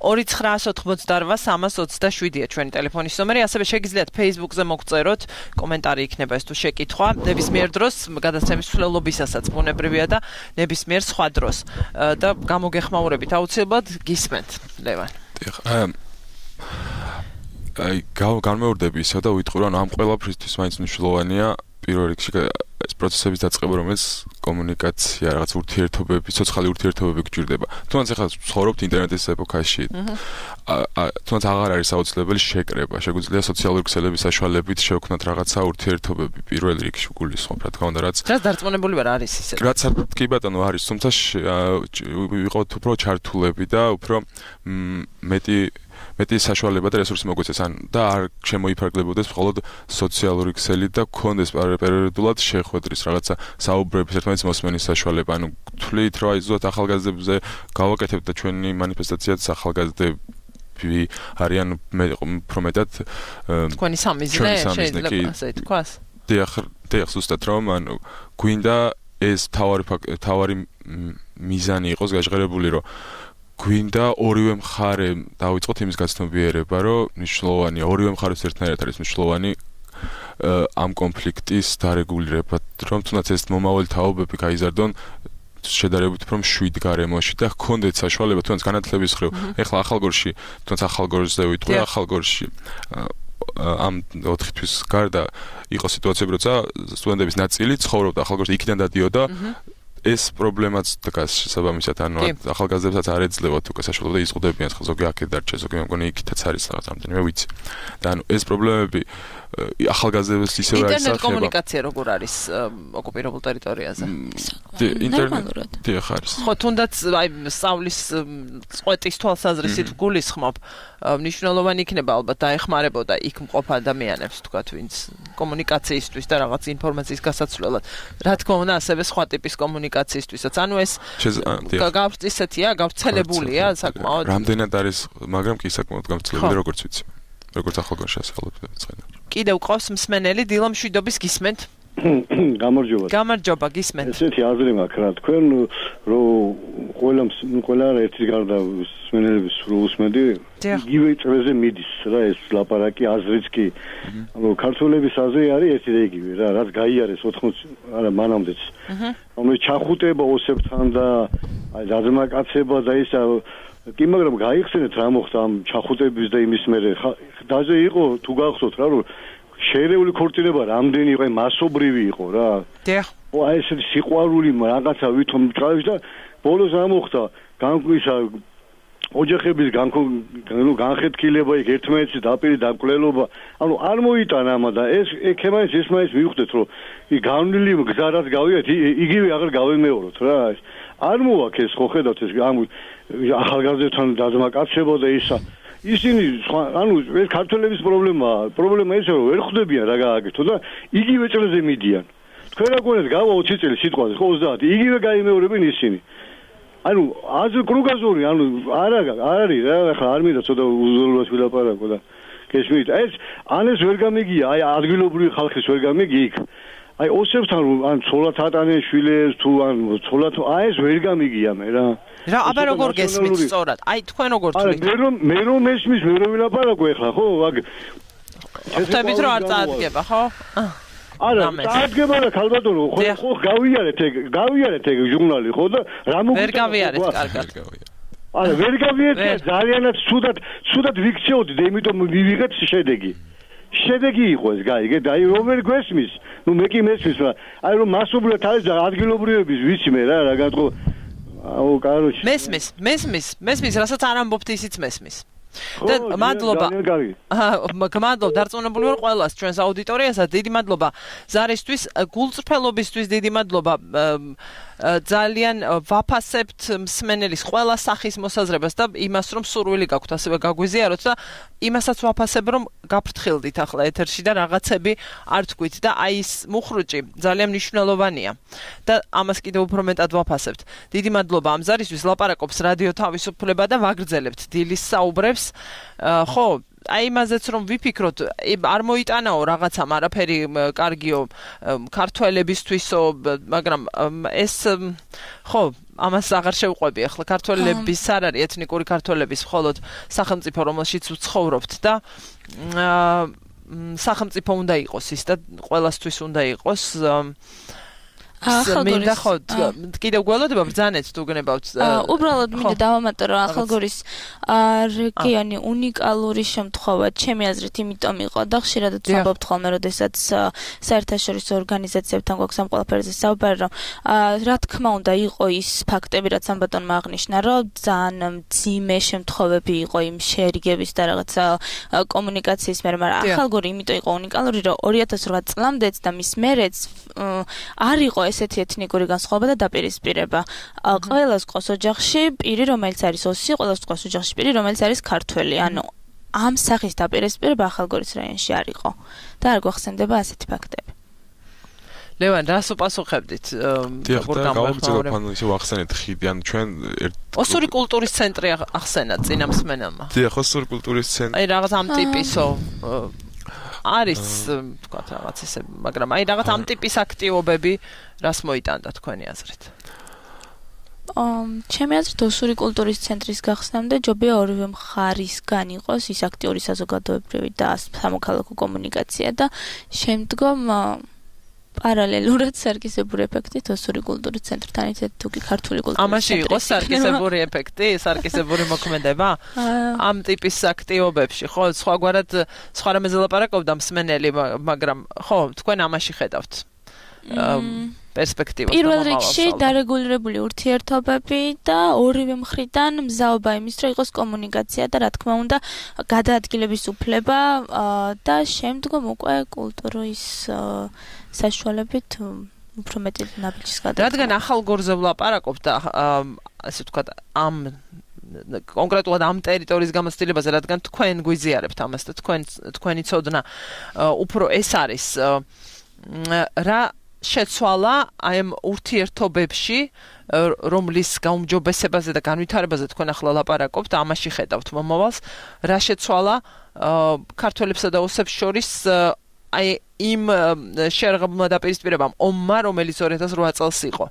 ორი ცხრაას ოთხმოცდარვა სამას ოცდაშვიდია ჩვენი ტელეფონის ნომერი, ასევე შეგიძლიათ Facebook-ზე მოგწეროთ, კომენტარი იქნება ეს თუ შეკითხვა. ნებისმიერ დროს გადაცემის მსვლელობისასაც ბუნებრივია და ნებისმიერ სხვა დროს. და გამოგეხმაურებით აუცილებლად გისმენთ, ლევან. აი, განმეორდები ისე და ვიტყვი რომ ამ ყველაფრისთვის მაინც მნიშვნელოვანია პირველ რიგში ეს პროცესების დაწყება, რომელიც კომუნიკაცია, რაღაც ურთიერთობები, სოციალური ურთიერთობები გჭირდება. თუნდაც ახლა ცხოვრობთ ინტერნეტის ეპოქაში. თუნდაც აღარ არის აუცილებელი შეკრება, შეგვიძლია სოციალური ქსელების საშუალებით შევქმნათ რაღაცა ურთიერთობები პირველ რიგში გულისხმობ, რა თქმა უნდა, რაც რაც დარწმუნებული ვარ არის ისე. რაც კი ბატონო არის, თუმცა ვიყავთ უფრო ჩართულები და უფრო მეტი მეტი საშუალება და რესურსი მოგვეცეს ან და არ შემოიფარგლებოდეს მხოლოდ სოციალური ქსელი და გქონდეს პერიოდულად შეხვედრის რაღაცა საუბრების ერთმანეთის მოსმენის საშუალება. ანუ თვლით რომ აი ზუსტად ახალგაზრდებზე გავაკეთებთ და ჩვენი მანიფესტაციაც ახალგაზრდები არიან უფრო მეტად თქვენი სამიზნე შეიძლება ასე თქვას. დიახ, დიახ, ზუსტად რომ ანუ გვინდა ეს თავარი თავარი მიზანი იყოს გაჟღერებული რომ გვინდა ორივე მხარე დავიწყოთ იმის გაცნობიერება, რომ მნიშვნელოვანია ორივე მხარეს ერთნაირად არის მნიშვნელოვანი ამ კონფლიქტის დარეგულირება, რომ თუნდაც ეს მომავალი თაობები გაიზარდონ შედარებით უფრო მშვიდ გარემოში და ჰქონდეთ საშუალება თუნდაც განათლების ხრივ. ეხლა ახალგორში, თუნდაც ახალგორზე ვიტყვი, ახალგორში ამ ოთხი თვის გარდა იყო სიტუაციები, როცა სტუდენტების ნაწილი ცხოვრობდა ახალგორში, იქიდან დადიოდა ეს პრობლემაც დგას შესაბამისად, ანუ ახალგაზრდებსაც არ ეძლებათ უკვე საშუალება და იზღუდებიან, ხო ზოგი აქეთ დარჩეს, ზოგი მე მგონი იქითაც არის რაღაც რამდენიმე ვიცი. და ანუ ეს პრობლემები ახალგაზრდებს ისევ არის ინტერნეტ კომუნიკაცია როგორ არის ოკუპირებულ ტერიტორიაზე? ინტერნეტი დიახ არის. ხო, თუნდაც აი სწავლის წყვეტის თვალსაზრისით გულისხმობ, მნიშვნელოვანი იქნება ალბათ დაეხმარებოდა იქ მყოფ ადამიანებს, თქვათ, ვინც კომუნიკაციისთვის და რაღაც ინფორმაციის გასაცვლელად. რა თქმა უნდა, ასევე სხვა ტიპის კომუნიკაციისთვისაც. ანუ ეს გავრცელებულია, გავრცელებულია საკმაოდ. რამდენად არის, მაგრამ კი საკმაოდ გავრცელებული, როგორც ვიცი. როგორც ახალგაზრდა შესაძლებლად ცხენდა. კიდევ ყავს მსმენელი დილო მშვიდობის გისმენთ? გამარჯობა. გამარჯობა, გისმენთ. ესეთი აზრი მაქვს რა, თქვენ რომ ყველა ყველა ერთის გარდა მსმენელების სულ უსმენდი, იგივე წრეზე მიდის რა ეს ლაპარაკი აზრიც კი. ანუ ქართველების აზრი არის ერთი და იგივე რა, რაც გაიარეს ოთხმოცი არა მანამდეც. ანუ ჩახუტება ოსებთან და აი დაძმაკაცება და ისა კი მაგრამ გაიხსენეთ რა მოხდა ამ ჩახუტების და იმის მერე დაზე იყო თუ გახსოვთ რა რომ შეერეული ქორწინება რამდენი იყო მასობრივი იყო რა დიახ ო აი ეს სიყვარული რაღაცა ვითომ ჩავიშ და ბოლოს რა მოხდა განკვისა ოჯახების განხეთქილება იქ ერთმანეთის დაპირი დამკვლელობა ანუ არ მოიტანა ამა და ეს ეკემაის ეს მაინც მივხვდეთ რომ ი განვლილი გზარად გავიათ იგივე აღარ გავემეოროთ რა არ მოაქვს ეს ხო ხედავთ ეს ამ ახალგაზრდებთან დაძმაკაცება და ისა ისინი ანუ ეს ქართველების პრობლემაა პრობლემა ისე რომ ვერ ხვდებიან რა გააკეთო და იგივე წელზე მიდიან თქვენ რა გონეთ გავა ოცი წელი სიტყვაზე ხო ოცდაათი იგივე გაიმეორებენ ისინი ანუ აზრ კრუგაზური ანუ არა არ არის რა ახლა არ მინდა ცოტა უზოლოდ ვილაპარაკო და გესმით ეს ან ეს ვერ გამიგია აი ადგილობრივი ხალხის ვერ გამიგი იქ აი ოსებთან ან ცოლად ატანენ შვილებს თუ ან ცოლად აი ეს ვერ გამიგია მე რა რა აბა როგორ გესმით სწორად აი თქვენ როგორ თვლით მე რომ მე რომ მესმის მე რომ ვილაპარაკო ახლა ხო აგ ხთებით რომ არ წაადგება ხო არა წაადგება რა ქალბატონო ხო ხო გავიარეთ ეგ გავიარეთ ეგ ჟურნალი ხო და რა მოგვიწევს ვერ გავიარეთ კარგად არა ვერ გავიარეთ ძალიანაც ცუდად ცუდად ვიქცეოდი და იმიტომ მივიღეთ შედეგი შედეგი იყო ეს გაიგე და აი რომ ვერ გვესმის ნუ მე კი მესმის რა აი რომ მასობრივად არის და ადგილობრივების ვიცი მე რა რა გატყო აუ კაროჩი მესმის მესმის მესმის რასაც არ ამბობთ ისიც მესმის და მადლობა. მადლობა დარწმუნებული ვარ ყველას ჩვენს აუდიტორიასაც. დიდი მადლობა ზარისთვის, გულწრფელობისთვის დიდი მადლობა. ძალიან ვაფასებთ მსმენელის ყველა სახის მოსაზრებას და იმას რომ სურვილი გაქვთ ასევე გაგვიზიაროთ და იმასაც ვაფასებ რომ გაფრთხილდით ახლა ეთერში და რაღაცები არ თქვით და აი ეს მუხრუჭი ძალიან მნიშვნელოვანია და ამას კიდევ უფრო მეტად ვაფასებთ. დიდი მადლობა ამ ზარისთვის. ლაპარაკობს რადიო თავისუფლება და ვაგრძელებთ დილის საუბრებს. ხო აი იმაზეც რომ ვიფიქროთ არ მოიტანაო რაღაცამ არაფერი კარგიო ქართველებისთვისო მაგრამ ეს ხო ამას აღარ შევყვები ახლა ქართველების არ არის ეთნიკური ქართველების მხოლოდ სახელმწიფო რომელშიც ვცხოვრობთ და სახელმწიფო უნდა იყოს ის და ყველასთვის უნდა იყოს მინდა ხო კიდევ გველოდება ბრძანეთ თუ გნებავთ უბრალოდ მინდა დავამატო რომ ახალგორის რეგიონი უნიკალური შემთხვევა ჩემი აზრით იმიტომ იყო და ხშირადაც ვამბობთ ხოლმე როდესაც საერთაშორისო ორგანიზაციებთან გვაქვს ამ ყველაფერზე საუბარი რომ რა თქმა უნდა იყო ის ფაქტები რაც ამ ბატონმა აღნიშნა რომ ძალიან მძიმე შემთხვევები იყო იმ შერიგების და რაღაცა კომუნიკაციის მერე მაგრამ ახალგორი იმიტომ იყო უნიკალური რომ ორი ათას ოთხ წლამდეც და მის მერეც არ იყო ესეთი ეთნიკური განსხვავება და დაპირისპირება. ყველას ყოს ოჯახში პირი, რომელიც არის ოსი, ყველას ყოს ოჯახში პირი, რომელიც არის ქართველი. ანუ ამ სახის დაპირისპირება ახალგორის რაიონში არ იყო და არ გვახსენდება ასეთი ფაქტები. ლევან, რას უპასუხებდით? გავაგრძელებთ ისე ვახსენეთ ხიდი, ანუ ჩვენ ოსური კულტურის ცენტრი ახსენა წინა მსმენელმა. დიახ, ოსური კულტურის ცენტრი. აი რაღაც ამ ტიპისო არის თქვა რაღაც ესე, მაგრამ აი რაღაც ამ ტიპის აქტივობები რას მოიტანდა თქვენი აზრით? ამ ჩემი აზრით ოსური კულტურის ცენტრის გახსნამდე ჯობია ორივე მხარისგან იყოს ის აქტიური საზოგადოებრივი და სამოქალაქო კომუნიკაცია და შემდგომ პარალელურად სარკისებური ეფექტით ოსური კულტურის ცენტრთან ერთად თუ კი ქართული კულტურის ამაში იყო სარკისებური ეფექტი, სარკისებური მოქმედება ამ ტიპის აქტივობებში, ხო, სხვაგვარად სხვა რამეზე ლაპარაკობდა მსმენელი, მაგრამ ხო, თქვენ ამაში ხედავთ პერსპექტივას. პირველ რიგში დარეგულირებული ურთიერთობები და ორივე მხრიდან მზაობა იმის, რომ იყოს კომუნიკაცია და რა თქმა უნდა გადაადგილების უფლება და შემდგომ უკვე კულტურის საშუალებით უფრო მეტი ნაბიჯის გადადგმა. რადგან ახალგორზე ვლაპარაკობ და ასე ვთქვათ ამ კონკრეტულად ამ ტერიტორიის გამოცდილებაზე, რადგან თქვენ გვიზიარებთ ამას და თქვენ თქვენი ცოდნა უფრო ეს არის რა შეცვალა აი ამ ურთიერთობებში რომლის გაუმჯობესებაზე და განვითარებაზე თქვენ ახლა ლაპარაკობთ ამაში ხედავთ მომავალს რა შეცვალა ქართველებსა და ოსებს შორის აი იმ შერღებულმა დაპირისპირებამ ომმა რომელიც ორი ათას ოთხ წელს იყო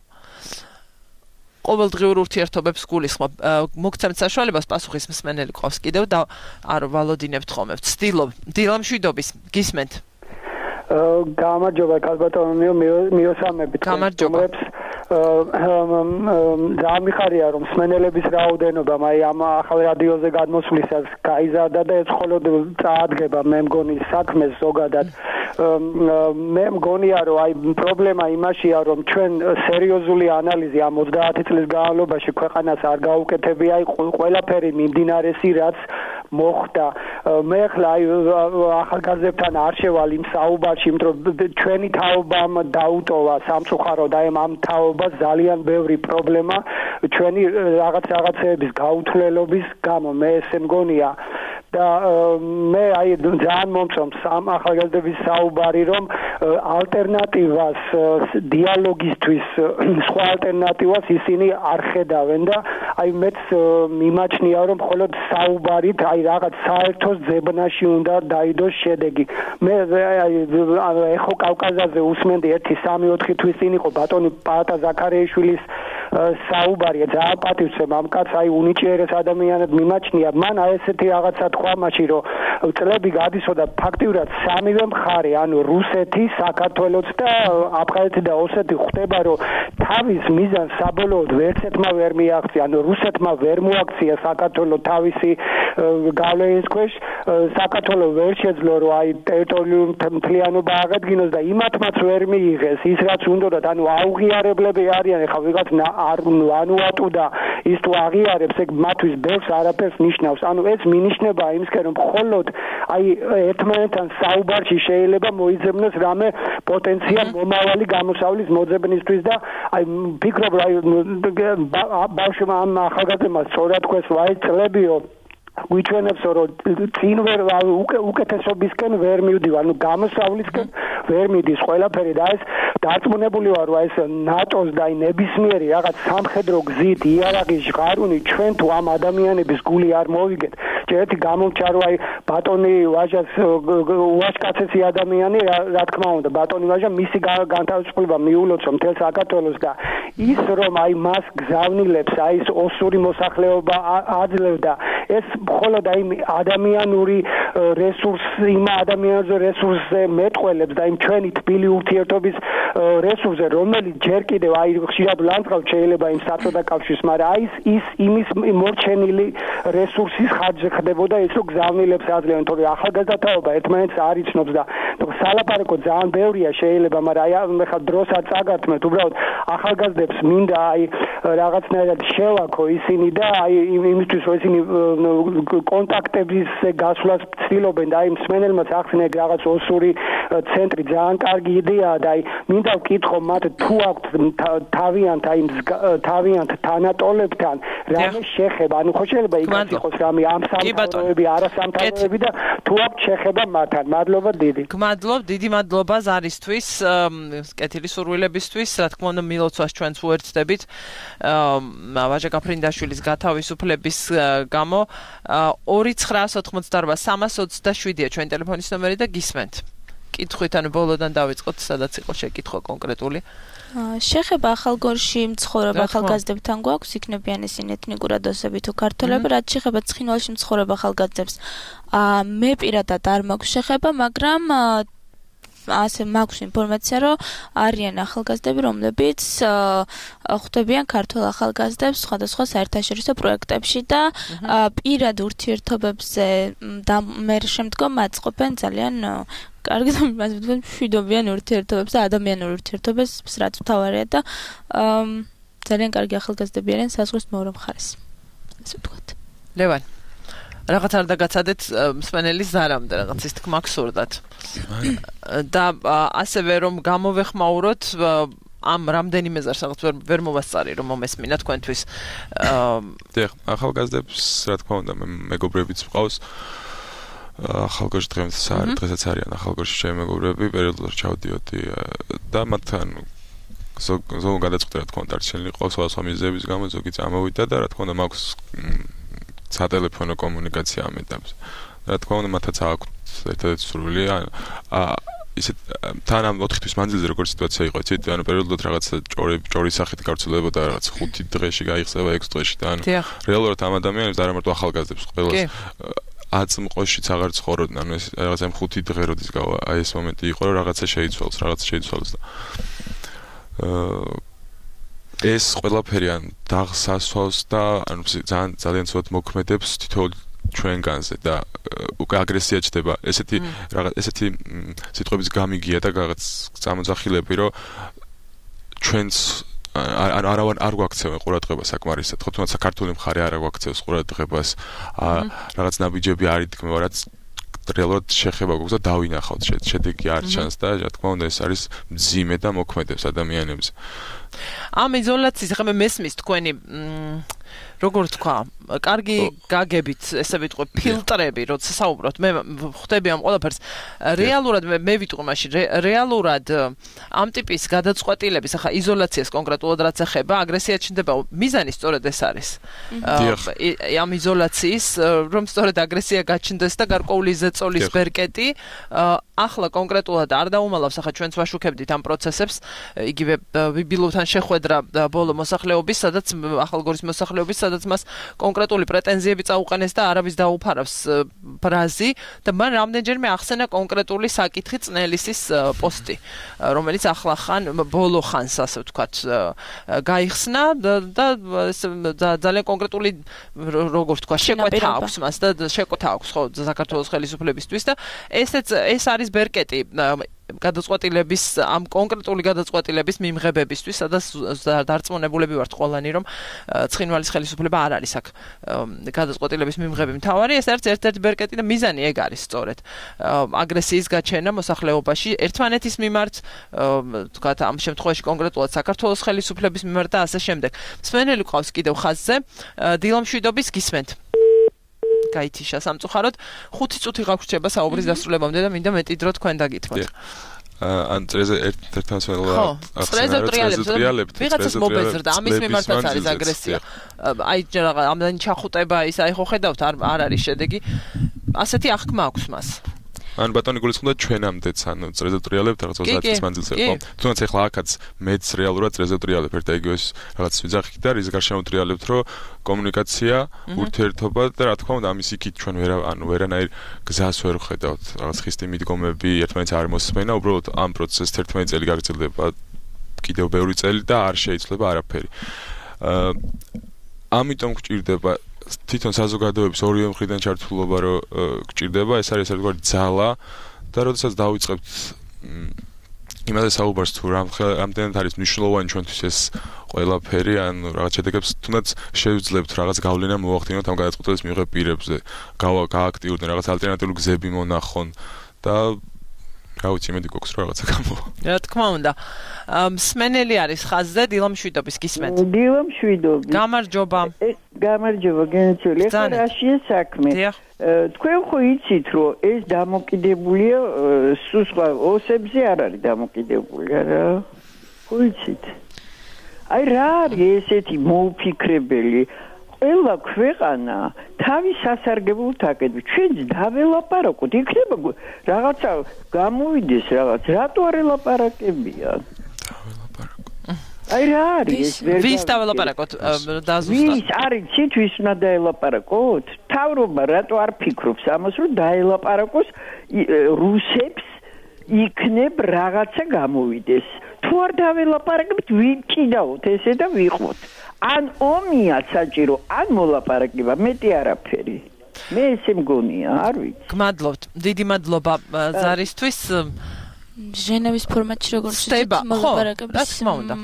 ყოველდღიურ ურთიერთობებს გულისხმობ მოგცემთ საშუალებას პასუხის მსმენელი ყავს კიდევ და არ ვალოდინებთ ხოლმე ვცდილობ დილამშვიდობის გისმენთ გამარჯობა კალბატონიო მიოსამებით გამარჯობა ძალიან მიხარია რომ მსმენელების რაოდენობა აი ამ ახალ რადიოზე გადმოსვლისას გაიზარდა და ეს მხოლოდ წაადგება მე მგონი საქმეს ზოგადად მე მგონია რომ აი პრობლემა იმაშია რომ ჩვენ სერიოზული ანალიზი ამ ოცდაათი წლის განმავლობაში ქვეყანას არ გაუკეთებია აი ყველაფერი მიმდინარესი რაც მოხდა მე ახლა აი ახალგაზრდებთან არ შევალ იმ საუბარში იმიტომ ჩვენი თაობამ დაუტოვა სამწუხაროდ აი ამ თაობას ძალიან ბევრი პრობლემა ჩვენი რაღაც რაღაცეების გაუთვლელობის გამო მე ესე მგონია და მე აი ძალიან მომწონს ამ ახალგაზრდების საუბარი რომ ალტერნატივას დიალოგისთვის სხვა ალტერნატივას ისინი არ ხედავენ და აი მეც მიმაჩნია რომ მხოლოდ საუბარით აი რაღაც საერთოს ძებნაში უნდა დაიდოს შედეგი მე აი ეხო კავკაზაზე უსმენდი ერთი სამი ოთხი თვის წინ იყო ბატონი პაატა ზაქარიაშვილის საუბარია ძალიან პატივცემ ამ კაცს აი უნიჭიერეს ადამიანად მიმაჩნია მან აი ესეთი რაღაცა თქვა მაშინ რომ წლები გადისოდა ფაქტიურად სამივე მხარე ანუ რუსეთი საქართველოც და აფხაზეთი და ოსეთი ხვდება რომ თავის მიზანს საბოლოოდ ვერცერთმა ვერ მიაღწია ანუ რუსეთმა ვერ მოაქცია საქართველოს თავისი გავლენის ქვეშ საქართველოს ვერ შეძლო რომ აი ტერიტორიული მთლიანობა აღედგინოს და იმათმაც ვერ მიიღეს ის რაც უნდათ ანუ აუღიარებლები არიან ეხლა ვიღაც არ ანუატუ და ის თუ აღიარებს ეგ მათთვის ბევრს არაფერს ნიშნავს ანუ ეს მინიშნება იმისკენ რომ მხოლოდ აი ერთმანეთთან საუბარში შეიძლება მოიძებნოს რამე პოტენციალ მომავალი გამოსავლის მოძებნისთვის და აი ფიქრობ რა ბავშვმა ამ ახალგაზრდმა სწორად თქვეს ვაი წლებიო გვიჩვენებს რომ წინ ვერ უკეთესობისკენ ვერ მივდივარ ანუ გამოსავლისკენ ვერ მიდის ყველაფერი და ეს დარწმუნებული ვარ რომ ეს ნატოს და აი ნებისმიერი რაღაც სამხედრო გზით იარაღის ჟღარუნი ჩვენ თუ ამ ადამიანების გული არ მოვიგეთ ერთი გამომჩა რომ აი ბატონი ვაჟას უაშკაცესი ადამიანი რა თქმა უნდა ბატონი ვაჟა მისი განთავისუფლება მიულოცა მთელ საქართველოს და ის რომ აი მას გზავნილებს აი ეს ოსური მოსახლეობა აძლევდა ეს მხოლოდ აი ადამიანური რესურსი იმ ადამიანზე რესურსზე მეტყველებს და იმ ჩვენი თბილი ურთიერთობის რესურსზე რომელიც ჯერ კიდევ აი ხშირად ლანძღავ შეიძლება იმ საწოდა კავშირს მაგრამ აი ის იმის მორჩენილი რესურსის ხარჯზე ხდებოდა ეს რომ გზავნილებს აძლევენ თორე ახალგაზრდაობა ერთმანეთს არ იცნობს და სალაპარაკო ძალიან ბევრია შეიძლება მაგრამ აი ახლა დროს არ წაგართმევთ უბრალოდ ახალგაზრდებს მინდა აი რაღაცნაირად შევაქო ისინი და აი იმისთვის რომ ისინი კონტაქტების გასვლას ცდილობენ და აი მსმენელმაც ახსნე რაღაც ოსური ცენტრი ძალიან კარგი იდეაა და აი მინდა ვკითხო მათ თუ აქვთ თავიანთ აი თავიანთ თანატოლებთან რამე შეხება ანუ ხო შეიძლება იქაც იყოს რამე ამ სამთავროები არასამთავროები და თუ აქვთ შეხება მათთან მადლობა დიდი გმადლობ დიდი მადლობა ზარისთვის კეთილი სურვილებისთვის რა თქმა უნდა მილოცვას ჩვენც უერთდებით ვაჟა გაფრინდაშვილის გათავისუფლების გამო ორი ცხრაას ოთხმოცდაორბა სამას ოცდაშვიდია ჩვენი ტელეფონის ნომერი და გისმენთ კითხვით ანუ ბოლოდან დავიწყოთ სადაც იყო შეკითხვა კონკრეტული შეხება ახალგორში მცხოვრებ ახალგაზრდებთან გვაქვს იქნებიან ისინი ეთნიკურად ოსები თუ ქართველები რაც შეხება ცხინვალში მცხოვრებ ახალგაზრდებს მე პირადად არ მაქვს შეხება მაგრამ ასე მაქვს ინფორმაცია რომ არიან ახალგაზრდები რომლებიც ხვდებიან ქართულ ახალგაზრდებს სხვადასხვა საერთაშორისო პროექტებში და პირად ურთიერთობებზე და მე შემდგომ აწყობენ ძალიან კარგი და მას ვთქვი მშვიდობიან ურთიერთობებს და ადამიანურ ურთიერთობებს რაც მთავარია და ძალიან კარგი ახალგაზრდები არიან საზღვრის მეორე მხარეს ასე ვთქვათ ლევან რაღაც არ დაგაცადეთ მსმენელის ზარამდე რაღაც ის თქმა გსურდათ და ასევე რომ გამოვეხმაუროთ ამ რამდენიმე ზარს რაღაც ვერ მოვასწარი რომ მომესმინა თქვენთვის დიახ ახალგაზრდებს რა თქმა უნდა მეგობრებიც მყავს ახალგორში დღესაც არიან ახალგორში ჩემი მეგობრები პერიოდულად ჩავდიოდი და მათთან ზოგ გადაწყვეტა რა თქმა უნდა არჩენილი ყავს სხვადასხვა მიზეზების გამო ზოგი წამოვიდა და რა თქმა უნდა მაქვს სატელეფონო კომუნიკაცია ამ ეტაპზე. რა თქმა უნდა, მათაც აქვთ ერთადერთი სურვილი, აა ისე თან ამ ოთხი თვის მანძილზე როგორ სიტუაცია იყო, იცით, ანუ პერიოდულად რაღაც ჭორი ჭორის სახით გავრცელებოდა რაღაც ხუთი დღეში გაიხსნება ექვს დღეში და ანუ რეალურად ამ ადამიანებს არა მარტო ახალგაზრდებს ყველას აწმყოშიც აღარ ცხოვრობდნენ, ანუ ეს რაღაც ამ ხუთი დღე როდის გავა, აი ეს მომენტი იყო, რომ რაღაცა შეიცვალოს, რაღაცა შეიცვალოს და აა ეს ყველაფერი ან დაღსასვავს და ანუ ძალიან ძალიან ცუდად მოქმედებს თითოეულ ჩვენგანზე და უკვე აგრესია ჩდება. ესეთი რაღაც ესეთი სიტყვების გამიგია და რაღაც წამოძახილები, რომ ჩვენც არ არ არ გვაქცევენ ყურადღებას საკმარისად. ხო თუნდაც საქართველოს მხარე არ გვაქცევს ყურადღებას. რაღაც ნაბიჯები არ იდგმება, რაც რეალურად შეხება გვაქვს და დავინახავთ შედეგი არ ჩანს და რა თქმა უნდა ეს არის მძიმე და მოქმედებს ადამიანებზე. ამ იზოლაციის ხომ მესმის თქვენი როგორ თქვა, კარგი გაგებით, ესე ვიტყვი, ფილტრები, როცა საუბრობთ, მე ხვდები ამ ყველაფერს. რეალურად მე ვიტყვი მაშინ, რეალურად ამ ტიპის გადაწყვეტილების, ახლა იზოლაციას კონკრეტულად რაც ეხება, აგრესია ჩნდება, მიზანი სწორედ ეს არის. ამ იზოლაციის, რომ სწორედ აგრესია გაჩნდეს და გარკვეული ზეწოლის ბერკეტი, ახლა კონკრეტულად არ დაუმალავს, ახლა ჩვენც ვაშუქებდით ამ პროცესებს, იგივე ბიბილოვთან მედიატორთან შეხვედრა ბოლო მოსახლეობის, სადაც ახალგორის მოსახლეობის, სადაც მას კონკრეტული პრეტენზიები წაუყენეს და არავის დაუფარავს ბრაზი და მან რამდენჯერმე ახსენა კონკრეტული საკითხი წნელისის პოსტი, რომელიც ახლახან ბოლო ხანს, ასე ვთქვათ, გაიხსნა და ძალიან კონკრეტული როგორ ვთქვა, შეკვეთა აქვს მას და შეკვეთა აქვს ხო საქართველოს ხელისუფლებისთვის და ესეც ეს არის ბერკეტი გადაწყვეტილების ამ კონკრეტული გადაწყვეტილების მიმღებებისთვის, სადაც დარწმუნებულები ვართ ყველანი, რომ ცხინვალის ხელისუფლება არ არის აქ გადაწყვეტილების მიმღები მთავარი, ეს არის ერთ-ერთი ბერკეტი და მიზანი ეგ არის სწორედ. აგრესიის გაჩენა მოსახლეობაში ერთმანეთის მიმართ, თქვათ ამ შემთხვევაში კონკრეტულად საქართველოს ხელისუფლების მიმართ და ასე შემდეგ. მსმენელი ყავს კიდევ ხაზზე, დილამშვიდობის გისმენთ. გაითიშა სამწუხაროდ ხუთი წუთი გაგვრჩება საუბრის დასრულებამდე და მინდა მეტი დრო თქვენ დაგითმოთ. ან წრეზე ერთ-ერთთან სველა წრეზე ტრიალებთ ვიღაცას მობეზრდა ამის მიმართაც არის აგრესია. აი რაღაც ამდენი ჩახუტება ის აი ხო ხედავთ არ არ არის შედეგი. ასეთი აღქმა აქვს მას. ან ბატონი გულისხმობდა ჩვენამდეც ანუ წრეზე ტრიალებთ რაღაც ოცდაათი წლის მანძილზე ხო? თუნდაც ახლა აქაც მეც რეალურად წრეზე ტრიალებ ერთ ეგეოს რაღაც ვიძახით და რის გარშემო ტრიალებთ რომ კომუნიკაცია, ურთიერთობა და რა თქმა უნდა ამის იქით ჩვენ ვერა ანუ ვერანაირ გზას ვერ ხედავთ. რაღაც ხისტი მიდგომები ერთმანეთს არ მოსმენა, უბრალოდ ამ პროცესს ერთმანეთი წელი გაგრძელდება კიდევ ბევრი წელი და არ შეიძლება არაფერი. აა ამიტომ გჭირდება თვითონ საზოგადოების ორივე მხრიდან ჩართულობა რო გჭირდება, ეს არის ერთგვარი ძალა და როდესაც დავიწყებთ იმაზე საუბარს თუ რამდენად არის მნიშვნელოვანი ჩვენთვის ეს ყველაფერი, ან რაღაც შედეგებს თუნდაც შევძლებთ რაღაც გავლენა მოვახდინოთ ამ გადაწყვეტილების მიღებ პირებზე, გააქტიურდნენ რაღაც ალტერნატიული გზები მონახონ და რა ვიცი, იმედი გვაქვს რომ რაღაცა გამოვა. რა თქმა უნდა. მსმენელი არის ხაზზე, დილამშვიდობის გისმენთ. დილამშვიდობის. გამარჯობა. გამარჯობა, გენაცვლია. ხო რაშია საქმე? თქვენ ხო იცით რომ ეს დამოკიდებულია სულ სხვა ოსებზე არ არის დამოკიდებული, არა? ხო იცით? აი რა არის ესეთი მოუფიქრებელი ყველა ქვეყანა თავის სასარგებლოდ აკეთებს. ჩვენც დაველაპარაკოთ, იქნება რაღაცა გამოვიდეს რაღაც, რატო არ ელაპარაკებიან? აი რა არის ეს? ვის დაველაპარაკოთ დაზუსტად? ვის არის ციტვის უნდა დაელაპარაკოთ? თავრობა რატო არ ფიქრობს ამას რომ დაელაპარაკოს რუსებს იქნებ რაღაცა გამოვიდეს? თუ არ დაველაპარაკებთ, ვიჭიდაოთ ესე და ვიყვოთ. ან ომია საჭირო, ან მოლაპარაკება, მეტი არაფერი. მე ესე მგონია, არ ვიცი. გმადლობთ. დიდი მადლობა ზარისთვის. ჟენევის ფორმატში როგორც ისეთ მოლაპარაკების. რა თქმა უნდა.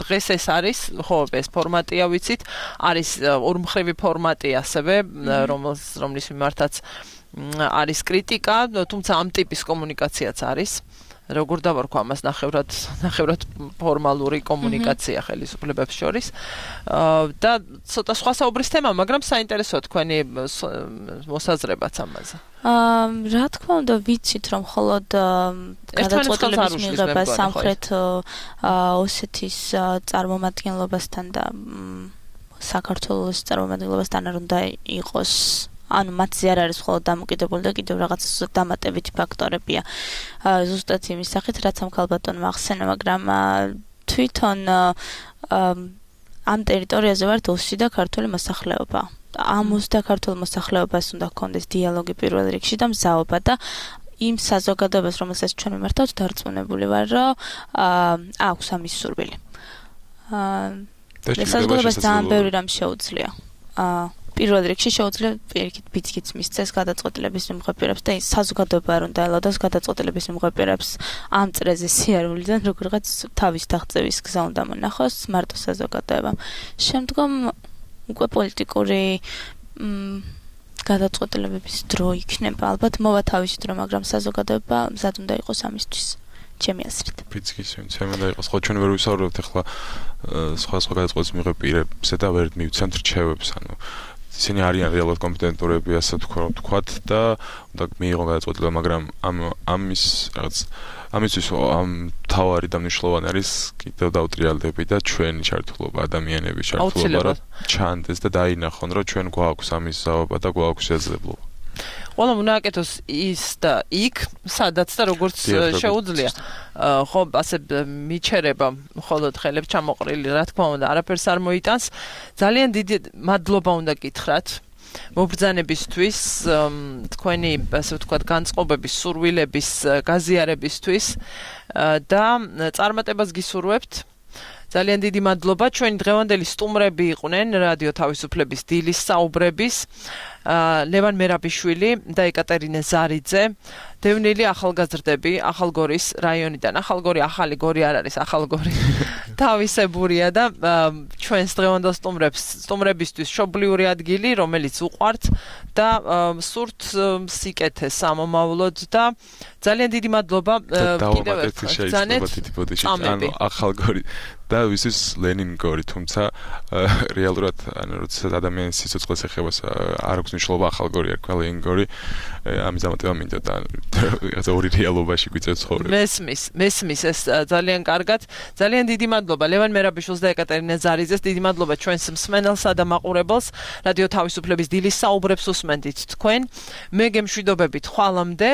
დღეს ეს არის, ხო, ეს ფორმატია ვიცით, არის ორმხრივი ფორმატი ასევე, რომლის მიმართაც არის კრიტიკა, თუმცა ამ ტიპის კომუნიკაციაც არის. როგორ დავარქვა ამას ნახევრად ნახევრად ფორმალური კომუნიკაცია ხელისუფლებებს შორის და ცოტა სხვა საუბრის თემა, მაგრამ საინტერესოა თქვენი მოსაზრებაც ამაზე. აა რა თქმა უნდა ვიცით რომ მხოლოდ გადაწყვეტილების მიღება სამხრეთ ოსეთის წარმომადგენლობასთან და საქართველოს წარმომადგენლობასთან არ უნდა იყოს ანუ მათზე არ არის მხოლოდ დამოკიდებული და კიდევ რაღაც დამატებითი ფაქტორებია. ზუსტად იმის სახით, რაც ამ ქალბატონმა ახსენა, მაგრამ თვითონ ამ ტერიტორიაზე ვართ ოსი და ქართული მოსახლეობა. ამ ოსი და ქართულ მოსახლეობას უნდა ჰქონდეს დიალოგი პირველ რიგში და მზაობა და იმ საზოგადოებას, რომელსაც ჩვენ მიმართავთ, დარწმუნებული ვარ, რომ აქვს ამის სურვილი. აა საზოგადოებას ძალიან ბევრი რამ შეუძლია. აა პირველ რიგში შეუძლია პირიქით ბიძგიც მისცეს გადაწყვეტილების მიმღებირებს და საზოგადოება არ უნდა ელოდოს გადაწყვეტილების მიმღებირებს ამ წრეზე სიარულიდან როგორღაც თავის დაღწევის გზა უნდა მონახოს მარტო საზოგადოებამ. შემდგომ უკვე პოლიტიკური გადაწყვეტილებების დრო იქნება. ალბათ მოვა თავისი დრო, მაგრამ საზოგადოება მზად უნდა იყოს ამისთვის. ჩემი აზრით. ბიძგის ვინცემ უნდა იყოს. ხო ჩვენ ვერ ვისაუბრებთ ახლა სხვა სხვა გადაწყვეტილების მიღებ პირებზე და ვერ მივცემთ რჩევებს, ანუ ისინი არიან რეალურად კომპეტენტურები, ასე ვთქვათ და უნდა მიიღონ გადაწყვეტილება, მაგრამ ამ ამის რაღაც ამისთვის ამ თავარი და მნიშვნელოვანი არის კიდევ დავტრიალდები და ჩვენი ჩართულობა, ადამიანების ჩართულობა, რომ ჩანდეს და დაინახონ, რომ ჩვენ გვაქვს ამის ზაობა და გვაქვს შესაძლებლობა. ყველა უნდა აკეთოს ის და იქ, სადაც და როგორც შეუძლია. ხო, ასე მიჩერება მხოლოდ ხელებს ჩამოყრილი, რა თქმა უნდა, არაფერს არ მოიტანს. ძალიან დიდი მადლობა უნდა გითხრათ მობრძანებისთვის, თქვენი, ასე ვთქვათ, განწყობების, სურვილების გაზიარებისთვის და წარმატებას გისურვებთ. ძალიან დიდი მადლობა. ჩვენი დღევანდელი სტუმრები იყვნენ რადიო თავისუფლების დილის საუბრების ლევან მერაბიშვილი და ეკატერინე ზარიძე, დევნილი ახალგაზრდები ახალგორის რაიონიდან. ახალგორი ახალი გორი არ არის, ახალგორი თავისებურია და ჩვენს დღევანდელ სტუმრებს, სტუმრებისთვის მშობლიური ადგილი, რომელიც უყვართ და სურთ სიკეთეს სამომავლოდ და ძალიან დიდი მადლობა კიდევ ერთხელ. ანუ ახალგორი და ვისთვის ლენინგორი, თუმცა რეალურად ანუ როცა ადამიანის სიცოცხლეს ეხება არ აქვს მნიშვნელობა ახალგორი არ ქვა ლენინგორი, ამის დამატება მინდა და რაღაცა ორი რეალობაში გვიწევს ცხოვრება. მესმის, მესმის ეს ძალიან კარგად. ძალიან დიდი მადლობა ლევან მერაბიშვილს და ეკატერინე ზარიძეს. დიდი მადლობა ჩვენს მსმენელსა და მაყურებელს. რადიო თავისუფლების დილის საუბრებს უსმენდით თქვენ. მე გემშვიდობებით ხვალამდე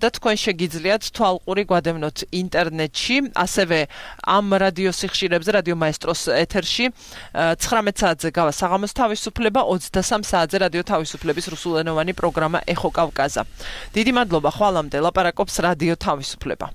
და თქვენ შეგიძლიათ თვალყური გვადევნოთ ინტერნეტში, ასევე ამ რადიო სიხშირებზე, რადიო მაესტროს ეთერში ცხრამეტ საათზე გავა საღამოს თავისუფლება, ოცდასამ საათზე რადიო თავისუფლების რუსულენოვანი პროგრამა ეხო კავკაზა. დიდი მადლობა, ხვალამდე ლაპარაკობს რადიო თავისუფლება.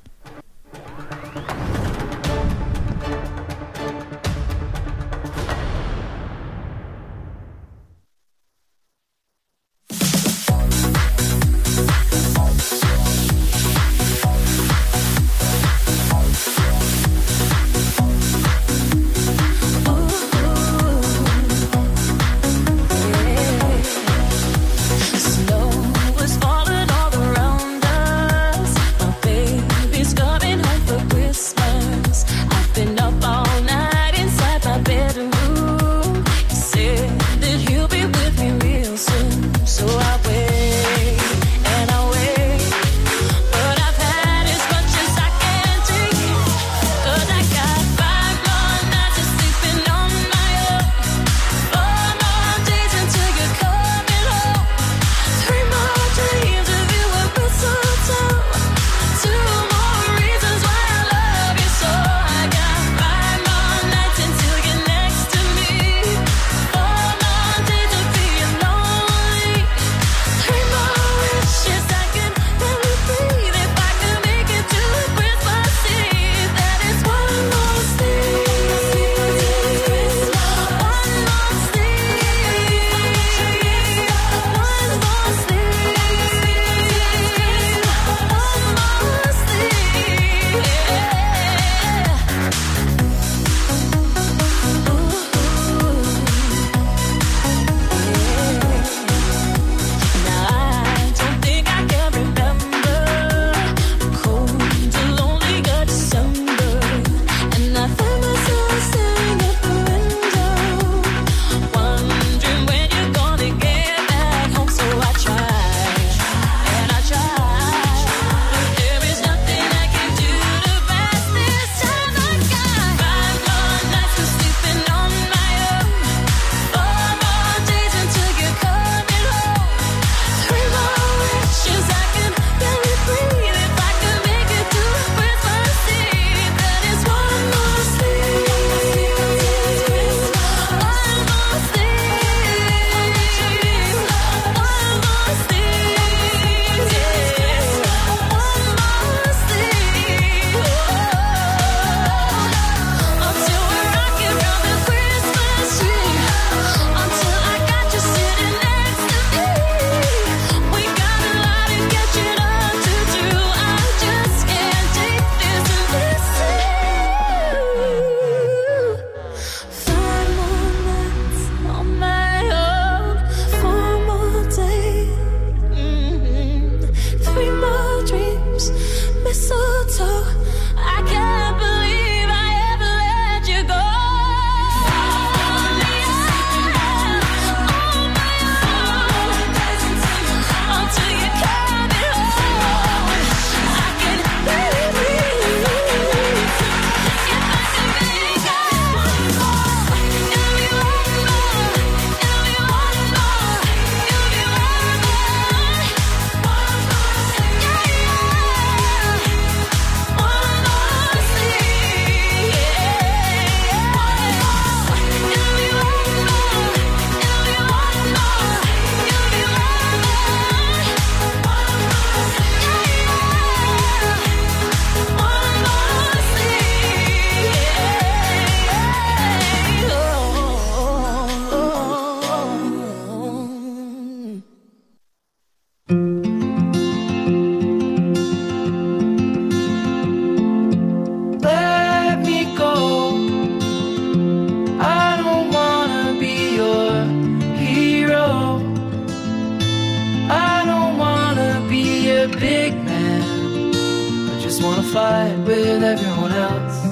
just wanna fight with everyone else.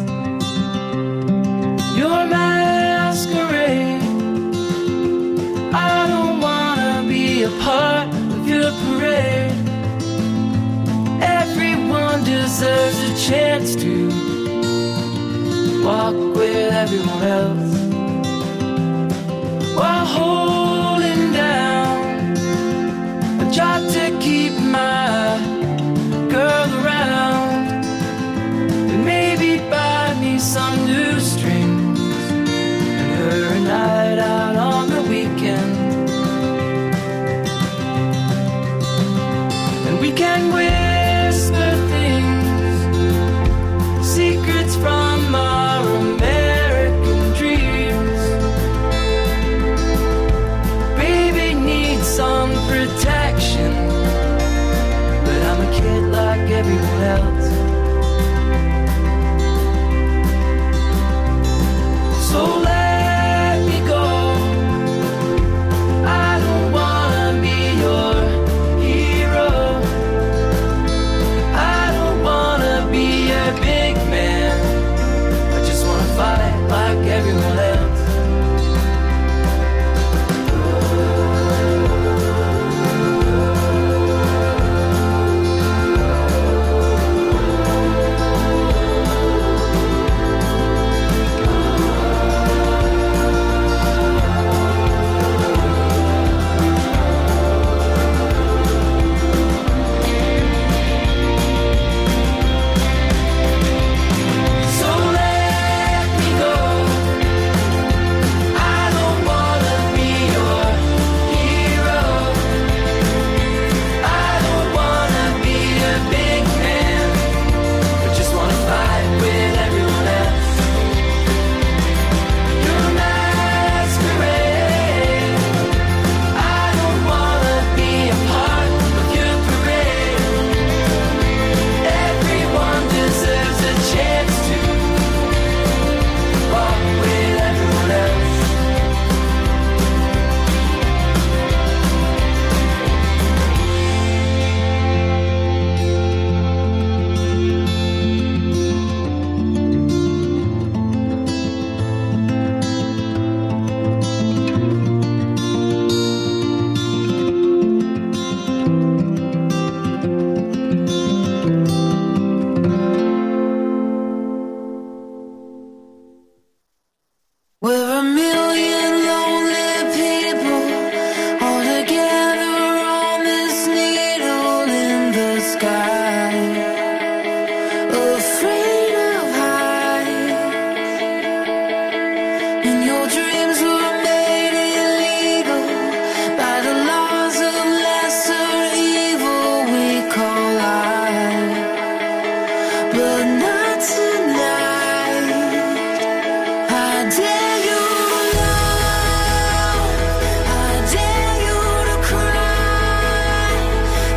Your masquerade, I don't wanna be a part of your parade. Everyone deserves a chance to walk with everyone else while holding down a job to keep my girl around and maybe buy me some new strings and her a night out on the weekend, and we can whisper things, secrets from our American dreams. Baby needs some protection, but I'm a kid like everyone else. So let me go. I don't wanna be your hero. I don't wanna be a big man. I just wanna fight like everyone else. So let me go. I don't wanna be your hero. I don't wanna be a big man. I just wanna fight with everyone else. Your masquerade, I don't wanna be a part of your parade. Everyone deserves a chance to walk with everyone else. We're a million lonely people all together on this needle in the sky, afraid of heights, and your dreams were made illegal by the laws of lesser evil we call life, but not tonight. I dare you love, I dare you to cry,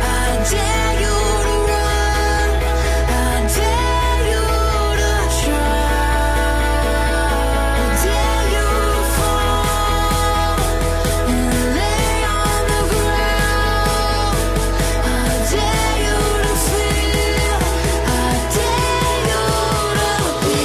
I dare you to run, I dare you to try, I dare you to fall and lay on the ground, I dare you to feel, I dare you to be.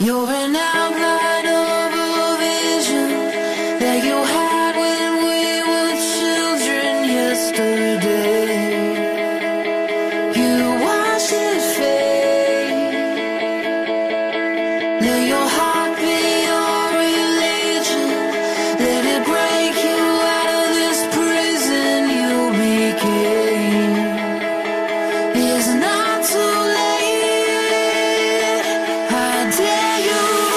You're an outline of a vision that you had when we were children yesterday. You watched it fade. Now you're